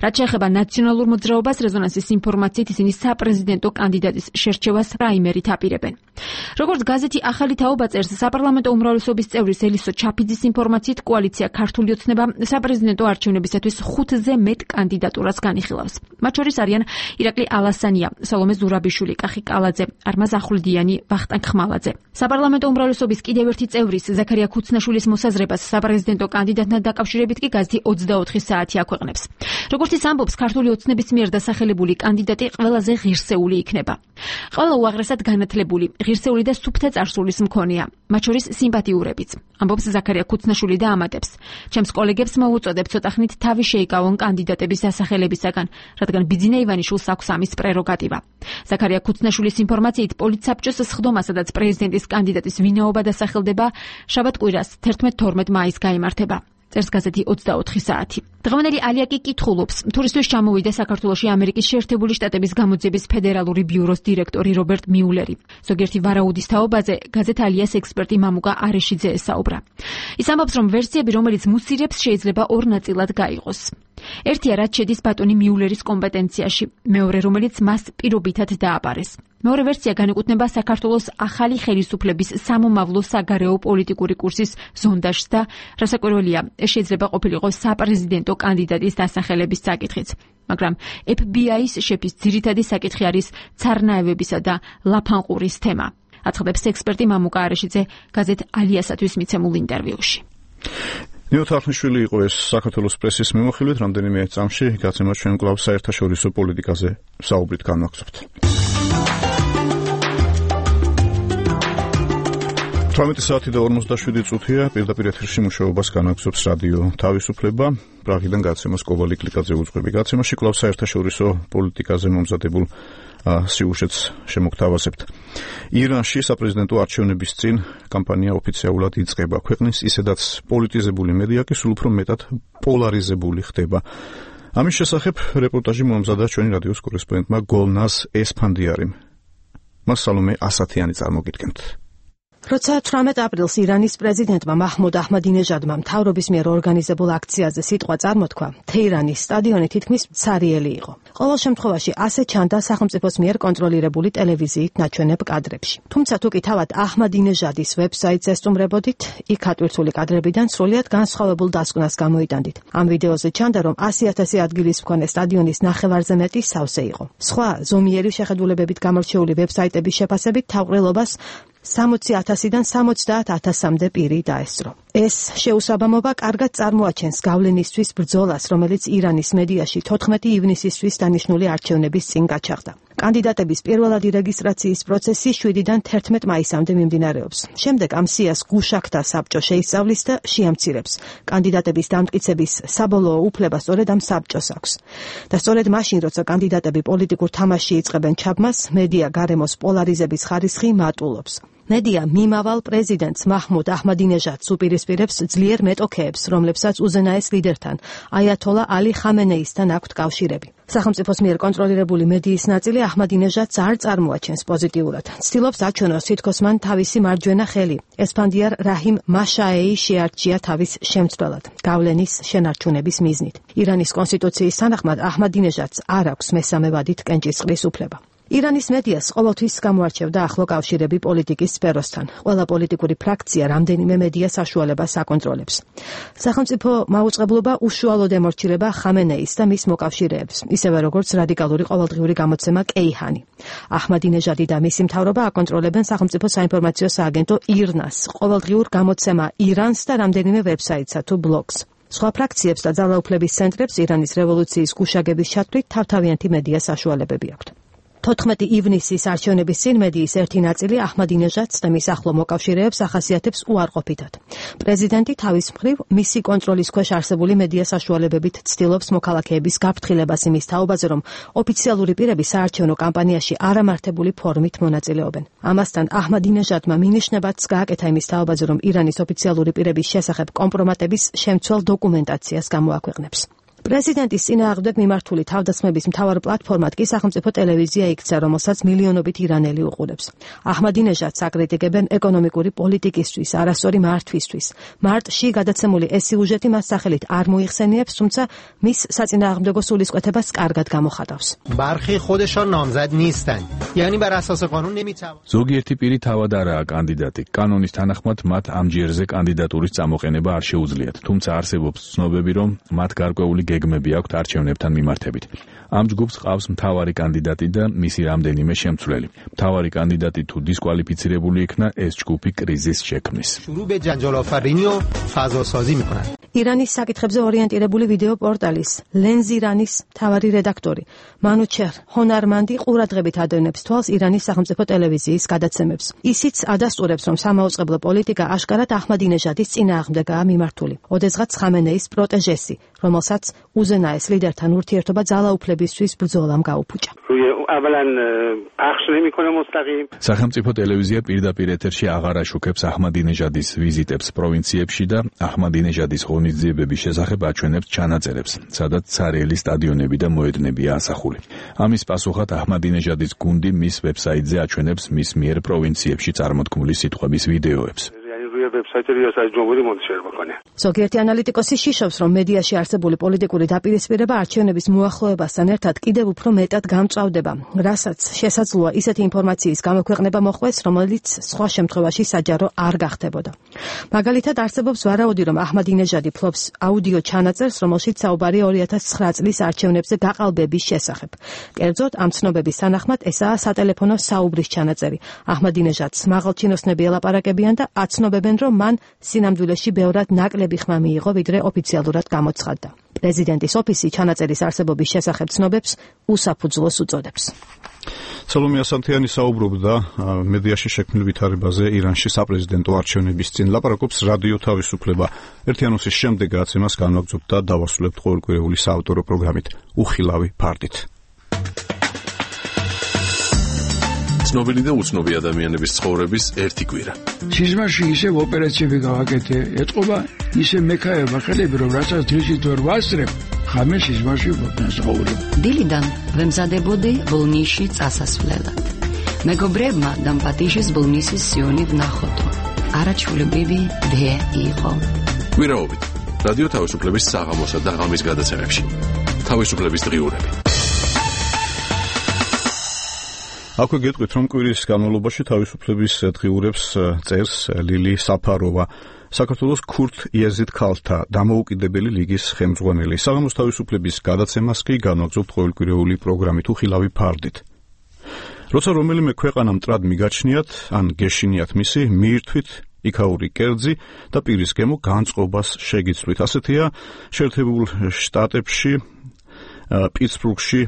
რაც შეეხება ნაციონალურ მოძრაობას, რეზონანსის ინფორმაციით ისინი საპრეზიდენტო კანდიდატის შერჩევას პრაიმერით აპირებენ. როგორც გაზეთი ახალი თაობა წერს, საპარლამენტო უმრავლესობის წევრის ელისო ჩაფიძის ინფორმაციით, კოალიცია ქართული ოცნება საპრეზიდენტო არჩევნებისათვის ხუთზე მეტ კანდიდატურას განიხილავს. მათ შორის არიან ირაკლი ალასანია, სალომე ზურაბიშვილი, კახი კალაძე, არმაზ ახვლედიანი, ვახტანგ ხმალაძე. საპარლამენტო უმრავლესობის კიდევ ერთი წევრის ზაქარია ქუცნაშვილის მოსაზრებას საპრეზიდენტო კანდიდატთან დაკავშირებით კი გაზეთი ოცდაოთხი საათი აქვეყნებს. როგორც ის ამბობს, ქართული ოცნების მიერ დასახელებული კანდიდატი ყველაზე ღირსეული იქნება. ყველა უაღრესად განათლებული, ღირსეული და სუფთა წარსულის მქონეა, მათ შორის სიმპათიურებიც, ამბობს ზაქარია ქუცნაშვილი და ამატებს. ჩემს კოლეგებს მოვუწოდებ ცოტახნით თავი შეიკავონ კანდიდატების დასახელებისაგან, რადგან ბიძინა ივანიშვილს აქვს ამის პრეროგატივა. ზაქარია ქუცნაშვილის ინფორმაციით, პოლიტსაბჭოს სხდომა, სადაც პრეზიდენტის კანდიდატის ვინაობა დასახელდება, შაბათ-კვირას თერთმეტ-თორმეტ მაისს გაიმართება. წერს გაზეთი ოცდაოთხი საათი. დღევანდელი ალიაკი კითხულობს, თურისთვის ჩამოვიდა საქართველოში ამერიკის შეერთებული შტატების გამოძიების ფედერალური ბიუროს დირექტორი რობერტ მიულერი. ზოგიერთი ვარაუდის თაობაზე გაზეთ ალიას ექსპერტი მამუკა არეშიძე ესაუბრა. ის ამბობს, რომ ვერსიები, რომელიც მუსირებს, შეიძლება ორ ნაწილად გაიყოს. ერთია, რაც შედის ბატონი მიულერის კომპეტენციაში, მეორე, რომელიც მას პირობითად დააბარეს. მეორე ვერსია განეკუთვნება საქართველოს ახალი ხელისუფლების სამომავლო საგარეო პოლიტიკური კურსის ზონდაჟს და რასაკვირველია, ეს შეიძლება ყოფილიყო საპრეზიდენტო კანდიდატის დასახელების საკითხიც. მაგრამ ეფ ბი აის შეფის ძირითადი საკითხი არის ცარნაევებისა და ლაფანყურის თემა. აცხადებს ექსპერტი მამუკა არეშიძე გაზეთ ალიასათვის მიცემულ ინტერვიუში. ნიუ თარხნიშვილი იყო ეს საქართველოს პრესის მიმოხილვით, რამდენიმე წამში გაცემა ჩვენ კვლავ საერთაშორისო პოლიტიკაზე საუბრით განვაგრძობთ. თვრამეტი საათი და ორმოცდაშვიდი წუთია, პირდაპირ ეთერში მუშაობას განაგრძობს რადიო თავისუფლება. პრაღიდან გაცემას კობალი კლიკაძე უძღვები. გაცემაში კვლავ საერთაშორისო პოლიტიკაზე მომზადებულ სიუჟეტს შემოგთავაზებთ. ირანში საპრეზიდენტო არჩევნების წინ კამპანია ოფიციალურად იწყება. ქვეყნის ისედაც პოლიტიზებული მედია კი სულ უფრო მეტად პოლარიზებული ხდება. ამის შესახებ რეპორტაჟი მომზადა ჩვენი რადიოს კორესპონდენტმა გოლნაზ ესფანდიარიმ. მას სალომე ასათიანი წარმოგიდგენთ. როცა თვრამეტ აპრილს ირანის პრეზიდენტმა მაჰმუდ აჰმადინეჟადმა მთავრობის მიერ ორგანიზებულ აქციაზე სიტყვა წარმოთქვა, თეირანის სტადიონი თითქმის მცარიელი იყო. ყოველ შემთხვევაში ასე ჩანდა სახელმწიფოს მიერ კონტროლირებული ტელევიზიით ნაჩვენებ კადრებში. თუმცა თუკი თავად აჰმადინეჟადის ვებსაიტს ესტუმრებოდით, იქ ატვირთული კადრებიდან სრულიად განსხვავებულ დასკვნას გამოიტანდით. ამ ვიდეოზე ჩანდა, რომ ასი ათასი ადგილის მქონე სტადიონის ნახევარზე მეტი სავსე იყო. სხვა ზომიერი შეხედულებებით გამორჩეული ვებსაიტების შეფასებით თავყრილობას სამოცი ათასიდან სამოცდაათ ათასამდე პირი დაესწრო. ეს შეუსაბამობა კარგად წარმოაჩენს გავლენისთვის ბრძოლას, რომელიც ირანის მედიაში თოთხმეტი ივნისისთვის დანიშნული არჩევნების წინ გაჩაღდა. კანდიდატების პირველადი რეგისტრაციის პროცესი შვიდიდან თერთმეტ მაისამდე მიმდინარეობს. შემდეგ ამ სიას გუშაქთა საბჭო შეისწავლის და შეამცირებს. კანდიდატების დამტკიცების საბოლოო უფლება სწორედ ამ საბჭოს აქვს. და სწორედ მაშინ, როცა კანდიდატები პოლიტიკურ თამაშში იწყებენ ჩაბმას, მედია გარემოს პოლარიზების ხარისხი მატულობს. მედია მიმავალ პრეზიდენტს მაჰმუდ აჰმადინეჟადს უპირისპირებს ძლიერ მეტოქეებს, რომლებსაც უზენაეს ლიდერთან, აიათოლა ალი ხამენეისთან აქვთ კავშირები. სახელმწიფოს მიერ კონტროლირებული მედიის ნაწილი აჰმადინეჟადს არ წარმოაჩენს პოზიტიურად. ცდილობს აჩვენოს, თითქოს მან თავისი მარჯვენა ხელი, ესფანდიარ რაჰიმ მაშაეი შეარჩია თავის შემცვლელად, გავლენის შენარჩუნების მიზნით. ირანის კონსტიტუციის თანახმად აჰმადინეჟადს არ აქვს მესამე ვადით კენჭისყრის უფლება. ირანის მედიას ყოველთვის გამოარჩევდა ახლო კავშირები პოლიტიკის სფეროსთან. ყველა პოლიტიკური ფრაქცია რამდენიმე მედია საშუალებას აკონტროლებს. სახელმწიფო მაუწყებლობა უშუალოდ ემორჩილება ხამენეის და მის მოკავშირეებს, ისევე როგორც რადიკალური ყოველდღიური გამოცემა კეიჰანი. აჰმადინეჟადი და მისი მთავრობა აკონტროლებენ სახელმწიფო საინფორმაციო სააგენტო ირნას, ყოველდღიურ გამოცემა ირანს და რამდენიმე ვებსაიტსა თუ ბლოგს. სხვა ფრაქციებს და ძალაუფლების ცენტრებს ირანის რევოლუციის გუშაგების ჩათვლით თავთავიანთი მედია საშუალებები აქვთ. თოთხმეტი ივნისის არჩევნების წინ მედიის ერთი ნაწილი აჰმადინეჟადს და მის ახლო მოკავშირეებს ახასიათებს უარყოფითად. პრეზიდენტი თავის მხრივ მისი კონტროლის ქვეშ არსებული მედია საშუალებებით ცდილობს მოქალაქეების გაფრთხილებას იმის თაობაზე, რომ ოფიციალური პირები საარჩევნო კამპანიაში არამართებული ფორმით მონაწილეობენ. ამასთან აჰმადინეჟადმა მინიშნებაც გააკეთა იმის თაობაზე, რომ ირანის ოფიციალური პირების შესახებ კომპრომატების შემცველ დოკუმენტაციას გამოაქვეყნებს. პრეზიდენტის წინააღმდეგ მიმართული თავდასხმების მთავარ პლატფორმად კი სახელმწიფო ტელევიზია იქცა, რომელსაც მილიონობით ირანელი უყურებს. აჰმადინეჟადს აკრიტიკებენ ეკონომიკური პოლიტიკისთვის, არასწორი მართვისთვის. მარტში გადაცემული ეს სიუჟეტი მას სახელით არ მოიხსენიებს, თუმცა მის საწინააღმდეგო სულისკვეთებას კარგად გამოხატავს. برخی خودشان نامزد نیستند. یعنی بر اساس قانون نمیتوان. ზოგიერთი პირი თავად არაა კანდიდატი. კანონის თანახმად მათ ამ ჯერზე კანდიდატურის წამოყენება არ შეუძლიათ, თუმცა არსებობს ცნობები, რომ მათ გარკვეული გეგმები აქვთ არჩევნებთან მიმართებით. ამ ჯგუფს ყავს მთავარი კანდიდატი და მისი რამდენიმე შემცვლელი. მთავარი კანდიდატი თუ დისკვალიფიცირებული იქნა, ეს ჯგუფი კრიზისს შექმნის. شروع به جنجال آفرینی و فضاسازی می‌کنند. ირანის საკითხებზე ორიენტირებული ვიდეო პორტალის ლენზირანის მთავარი რედაქტორი მანუჩერ ჰონარმანდი ყურადღებით ადევნებს თვალს ირანის სახელმწიფო ტელევიზიის გადაცემებს. ისიც ადასტურებს, რომ სამაუწყებლო პოლიტიკა აშკარად აჰმადინეჟადის წინააღმდეგაა მიმართული. ოდესღაც ხამენეის პროტეჟესი, რომელსაც უზენაეს ლიდერთან ურთიერთობა ძალაუფლებისთვის ბრძოლამ გაუფუჭა. სახელმწიფო ტელევიზია პირდაპირ ეთერში აღარ აშუქებს აჰმადინეჟადის ვიზიტებს პროვინციებში და აჰმადინეჟადის ღონისძიებების შესახებ აჩვენებს ჩანაწერებს, სადაც ცარიელი სტადიონები და მოედნებია ასახული. ამის პასუხად აჰმადინეჟადის გუნდი მის ვებსაიტზე აჩვენებს მის მიერ პროვინციებში წარმოთქმული სიტყვების ვიდეოებს. ზოგიერთი ანალიტიკოსი შიშობს, რომ მედიაში არსებული პოლიტიკური დაპირისპირება არჩევნების მოახლოებასთან ერთად კიდევ უფრო მეტად გამწვავდება, რასაც შესაძლოა ისეთი ინფორმაციის გამოქვეყნება მოხდეს, რომელიც სხვა შემთხვევაში საჯარო არ გახდებოდა. მაგალითად, არსებობს ვარაუდი, რომ აჰმადინეჟადი ფლობს აუდიო ჩანაწერს, რომელშიც საუბარია ორი ათას ცხრა წლის არჩევნებზე გაყალბების შესახებ. კერძოდ, ამ ცნობების თანახმად ესაა სატელეფონო საუბრის ჩანაწერი. აჰმადინეჟადს მაღალჩინოსნები ელაპარაკებიან და აცნობებენ, რომ მან სინამდვილეში ბევრად ნაკლები ხმა მიიღო, ვიდრე ოფიციალურად გამოცხადდა. პრეზიდენტის ოფისი ჩანაწერის არსებობის შესახებ ცნობებს უსაფუძვლოს უწოდებს. სალომე ასანთიანი საუბრობდა მედიაში შექმნილ ვითარებაზე ირანში საპრეზიდენტო არჩევნების წინ. ლაპარაკობს რადიო თავისუფლება. ერთი ანონსის შემდეგ გაცემას განვაგრძობთ და დავასრულებთ ყოველკვირეული საავტორო პროგრამით უხილავი ფარდით. ცნობილი და უცნობი ადამიანების ცხოვრების ერთი კვირა. სიზმარში ისევ ოპერაციები გავაკეთე, ეთყობა ისე მექაება ხელები, რომ რასაც დღისით ვერ ვასწრებ, ხამე სიზმარში ვცხოვრობ. დილიდან ვემზადებოდი ბოლნისში წასასვლელად. მეგობრებმა დამპატიშის ბოლნისის სიონი ვნახოთო. არაჩვეულებრივი დე იყო. კვირაობით რადიო თავისუფლების საღამოსა და ღამის გადაცემებში. თავისუფლების დღიურები. აქვე გეტყვით, რომ კვირის განმავლობაში თავისუფლების დღიურებს წერს ლილი საფაროვა, საქართველოს ქურთ იეზიდ ქალთა დამოუკიდებელი ლიგის ხელმძღვანელი. საღამოს თავისუფლების გადაცემას კი განვაგრძობთ ყოველკვირეული პროგრამით უხილავი ფარდით. როცა რომელიმე ქვეყანა მტრად მიგაჩნიათ, ან გეშინიათ მისი, მიირთვით იქაური კერძი და პირის გემო განწყობას შეგიცვლით. ასეთია შეერთებულ შტატებში, პიტსბურგში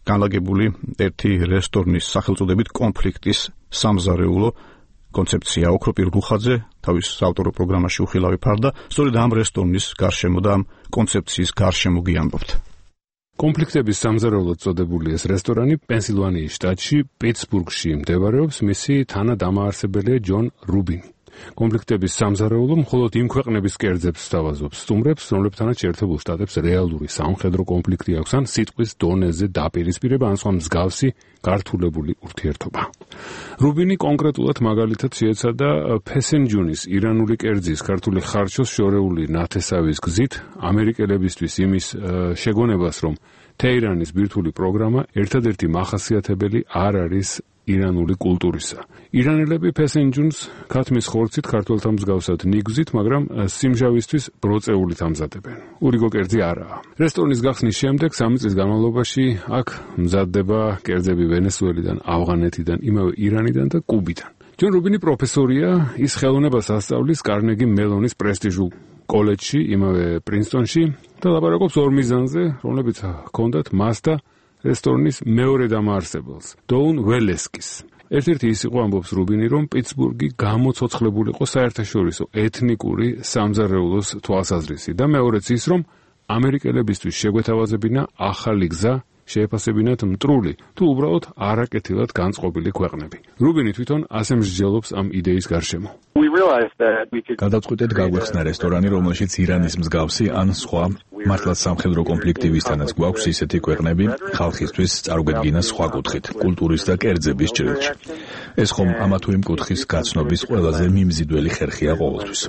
განლაგებული ერთი რესტორნის სახელწოდებით კონფლიქტის სამზარეულო კონცეფცია. ოქროპირ რუხაძე თავის ავტორო პროგრამაში უხილავი ფარდა სწორედ ამ რესტორნის გარშემო და ამ კონცეფციის გარშემო გიამბობთ. კონფლიქტების სამზარეულოდ წოდებული ეს რესტორანი პენსილვანიის შტატში, პიტსბურგში მდებარეობს, მისი თანადამაარსებელია ჯონ რუბინი. კონფლიქტების სამზარეულო მხოლოდ იმ ქვეყნების კერძებს სთავაზობს, სტუმრებს, რომლებთანაც შეერთებულ შტატებს რეალური სამხედრო კონფლიქტი აქვს, ან სიტყვის დონეზე დაპირისპირება, ან სხვა მსგავსი გართულებული ურთიერთობა. რუბინი კონკრეტულად მაგალითად შეეცადა ფესენჯუნის ირანული კერძის ქართული ხარჩოს შორეული ნათესავის გზით ამერიკელებისთვის იმის შეგონებას, რომ თეირანის ბირთვული პროგრამა ერთადერთი მახასიათებელი არ არის ირანული კულტურისა. ირანელები ფესენჯუნს ქათმის ხორცით ქართველთა მსგავსად ნიგზით, მაგრამ სიმჟავისთვის ბროწეულით ამზადებენ. ურიგო კერძი არაა. რესტორნის გახსნის შემდეგ სამი წლის განმავლობაში აქ მზადდება კერძები ვენესუელიდან, ავღანეთიდან, იმავე ირანიდან და კუბიდან. ჯონ რუბინი პროფესორია, ის ხელოვნებას ასწავლის კარნეგი მელონის პრესტიჟულ კოლეჯში, იმავე პრინსტონში და ლაპარაკობს ორ მიზანზე, რომლებიც ჰქონდათ მას და რესტორნის მეორე დამაარსებელს, დოუნ ველესკის. ერთ-ერთი ის იყო, ამბობს რუბინი, რომ პიტსბურგი გამოცოცხლებულიყო საერთაშორისო ეთნიკური სამზარეულოს თვალსაზრისით და მეორეც ის, რომ ამერიკელებისთვის შეგვეთავაზებინა ახალი გზა, შეეფასებინათ მტრული თუ უბრალოდ არაკეთილად განწყობილი ქვეყნები. რუბინი თვითონ ასე მსჯელობს ამ იდეის გარშემო. გადავწყვიტეთ გაგვეხსნა რესტორანი, რომელშიც ირანის მსგავსი ან სხვა მართლაც სამხედრო კონფლიქტივისთანაც გვაქვს ისეთი ქვეყნები ხალხისთვის წარუგვედგინა სხვა კუთხით, კულტურის და კერძების ჭრილში. ეს ხომ ამა თუ იმ კუთხის გაცნობის ყველაზე მიმზიდველი ხერხია ყოველთვის.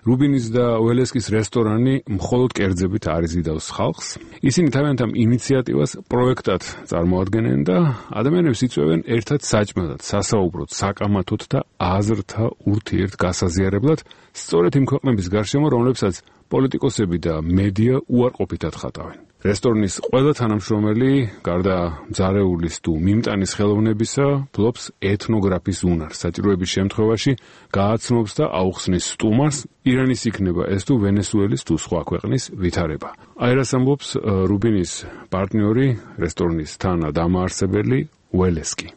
რუბინის და ველესკის რესტორანი მხოლოდ კერძებით არ იზიდავს ხალხს. ისინი თავიანთ ამ ინიციატივას პროექტად წარმოადგენენ და ადამიანებს იწვევენ ერთად საჭმელად, სასაუბროდ, საკამათოდ და აზრთა ურთიერთ გასაზიარებლად, სწორედ იმ ქვეყნების გარშემო, რომლებსაც პოლიტიკოსები და მედია უარყოფითად ხატავენ. რესტორნის ყველა თანამშრომელი, გარდა მძარეულის თუ მიმტანის ხელოვნებისა, ფლობს ეთნოგრაფის უნარს. საჭიროების შემთხვევაში გააცნობს და აუხსნის სტუმარს, ირანის იქნება ეს თუ ვენესუელის თუ სხვა ქვეყნის ვითარება. აი რას ამბობს რუბინის პარტნიორი, რესტორნის თანადამაარსებელი ველესკი.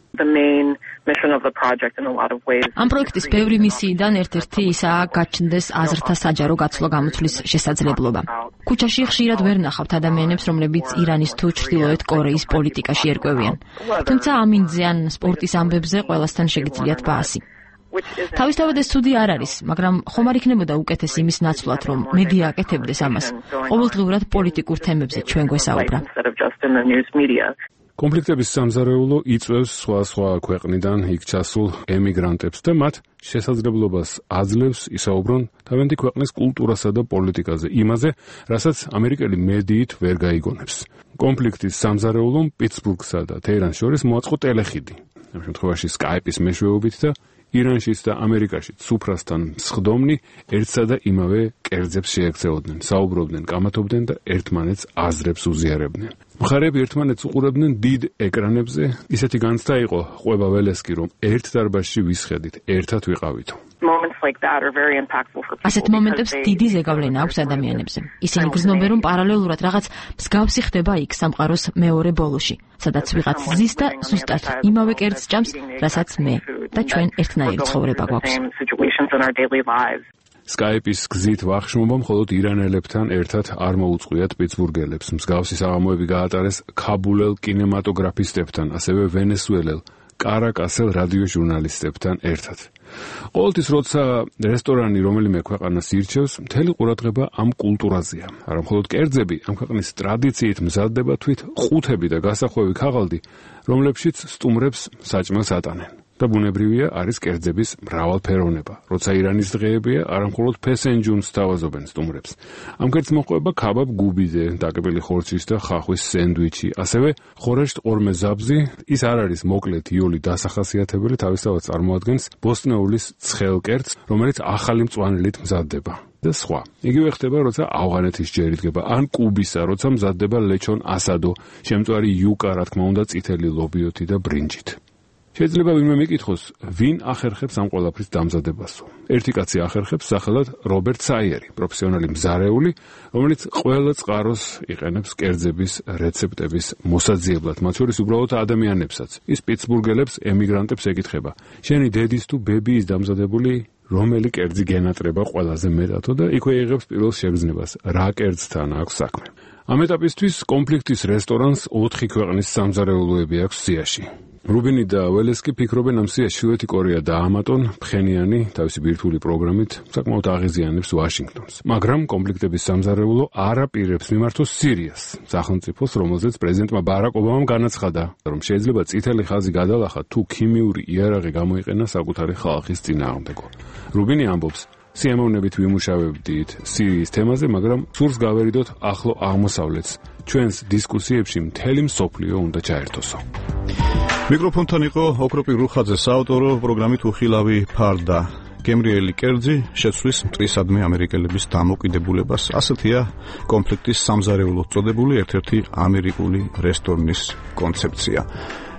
ამ პროექტის ბევრი მისიიდან ერთ-ერთი ისაა გაჩნდეს აზრთა საჯარო გაცვლო-გამოთვლის შესაძლებლობა. ქუჩაში ხშირად ვერ ნახავთ ადამიანებს, რომლებიც ირანის თუ ჩრდილოეთ კორეის პოლიტიკაში ერკვევიან. თუმცა ამინძზე ან სპორტის ამბებზე ყველასთან შეგიძლიათ ბაასი. თავისთავად ეს ცუდი არ არის, მაგრამ ხომ არ იქნებოდა უკეთესი იმის ნაცვლად, რომ მედია აკეთებდეს ამას. ყოველდღიურად პოლიტიკურ თემებზე ჩვენ გვესაუბრა. კონფლიქტების სამზარეულო იწვევს სხვა-სხვა ქვეყნიდან იქ ჩასულ ემიგრანტებს და მათ შესაძლებლობას აძლევს ისაუბრონ თავიანთი ქვეყნის კულტურასა და პოლიტიკაზე, იმაზე, რასაც ამერიკელი მედიით ვერ გაიგონებს. კონფლიქტის სამზარეულომ პიტსბურგსა და თეირანს შორის მოაწყო ტელეხიდი. ამ შემთხვევაში სკაიპის მეშვეობით და ირანშიც და ამერიკაშიც სუფრასთან მსხდომნი ერთსა და იმავე კერძებს შეექცეოდნენ, საუბრობდნენ, კამათობდნენ და ერთმანეთს აზრებს უზიარებდნენ. მხარეები ერთმანეთს უყურებდნენ დიდ ეკრანებზე, ისეთი განცდა იყო ყვება ველესკი, რომ ერთ დარბაზში ვისხედით, ერთად ვიყავითო. ასეთ მომენტებს დიდი ზეგავლენა აქვს ადამიანებზე. ისინი გრძნობენ, რომ პარალელურად რაღაც მსგავსი ხდება იქ სამყაროს მეორე ბოლოში, სადაც ვიღაც ზის და ზუსტად იმავე კერძს ჭამს, რასაც მე და ჩვენ ერთნაირი ცხოვრება გვაქვს. სკაიპის გზით ვახშმობა მხოლოდ ირანელებთან ერთად არ მოუწყვიათ პიტსბურგელებს. მსგავსი საღამოები გაატარეს ქაბულელ კინემატოგრაფისტებთან, ასევე ვენესუელელ კარაკასელ რადიო ჟურნალისტებთან ერთად. ყოველთვის როცა რესტორანი რომელიმე ქვეყანას ირჩევს, მთელი ყურადღება ამ კულტურაზეა. არა მხოლოდ კერძები, ამ ქვეყნის ტრადიციით მზადდება თვით ყუთები და გასახვევი ქაღალდი, რომლებშიც სტუმრებს საჭმელს ატანენ. და ბუნებრივია არის კერძების მრავალფეროვნება. როცა ირანის დღეებია, არა მხოლოდ ფესენჯუნს სთავაზობენ სტუმრებს. ამ კერძს მოყვება ქაბაბ გუბიზე, დაკებილი ხორცის და ხახვის სენდვიჩი, ასევე ხორეშტ ყორმე ზაბზი. ის არ არის მოკლე თიოლი დასახასიათებელი, თავისთავად წარმოადგენს ბოსტნეულის ცხელ კერძს, რომელიც ახალი მწვანელით მზადდება. და სხვა. იგივე ხდება, როცა ავღანეთის ჯერი დგება, ან კუბისა, როცა მზადდება ლეჩონ ასადო, შემწვარი იუკა, რა თქმა უნდა, წითელი ლობიოთი და ბრინჯით. შეიძლება ვინმე მეკითხოს, ვინ ახერხებს ამ ყველაფრის დამზადებასო. ერთი კაცი ახერხებს, სახელად რობერტ საიერი, პროფესიონალი მზარეული, რომელიც ყველა წყაროს იყენებს კერძების რეცეპტების მოსაძიებლად, მათ შორის უბრალოდ ადამიანებსაც. ის პიტსბურგელებს, ემიგრანტებს ეკითხება: შენი დედის თუ ბებიის დამზადებული რომელი კერძი გენატრება ყველაზე მეტადო და იქვე იღებს პირველ შეგრძნებას, რა კერძთან აქვს საქმე. ამ ეტაპისთვის კონფლიქტის რესტორანს ოთხი ქვეყნის სამზარეულოები აქვს სიაში. რუბინი და ველესკი ფიქრობენ ამ სიაში ჩრდილოეთი კორეა დაამატონ, ფხენიანი თავისი ბირთვული პროგრამით საკმაოდ აღიზიანებს ვაშინგტონს. მაგრამ კონფლიქტების სამზარეულო არ აპირებს მიმართოს სირიას, სახელმწიფოს, რომელზეც პრეზიდენტმა ბარაკ ობამამ განაცხადა, რომ შეიძლება წითელი ხაზი გადალახა თუ ქიმიური იარაღი გამოიყენა საკუთარი ხალხის წინააღმდეგო. რუბინი ამბობს, სიამოვნებით ვიმუშავებდით სირიის თემაზე, მაგრამ სურს გავერიდოთ ახლო აღმოსავლეთს. ჩვენს დისკუსიებში მთელი მსოფლიო უნდა ჩაერთოსო. მიკროფონთან იყო ოქროპი რუხაძე, საავტორო პროგრამით უხილავი ფარდა. გემრიელი კერძი შეცვლის მტრისადმი ამერიკელების დამოკიდებულებას. ასეთია კონფლიქტის სამზარეულოდ წოდებული ერთ-ერთი ამერიკული რესტორნის კონცეფცია.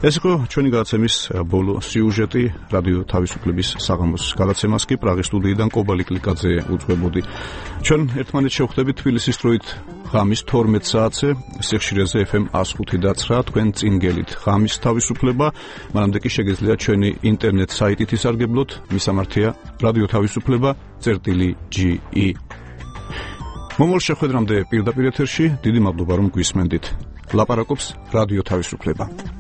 ეს იყო ჩვენი გადაცემის ბოლო სიუჟეტი. რადიო თავისუფლების საღამოს გადაცემას კი პრაღის სტუდიიდან კობალი კლიკაძე უძღვებოდი. ჩვენ ერთმანეთს შევხვდებით თბილისის დროით ღამის თორმეტ საათზე, სიხშირეზე ეფ ემ one oh five და nine, თქვენ წინ გელით ღამის თავისუფლება. მანამდე კი შეგეძლია ჩვენი ინტერნეტ საიტით ისარგებლოთ, მისამართია რადიო თავისუფლება წერტილი ჯი ი. მომავალ შეხვედრამდე პირდაპირ ეთერში დიდი მადლობა რომ გვისმენდით. ლაპარაკობს რადიო თავისუფლება.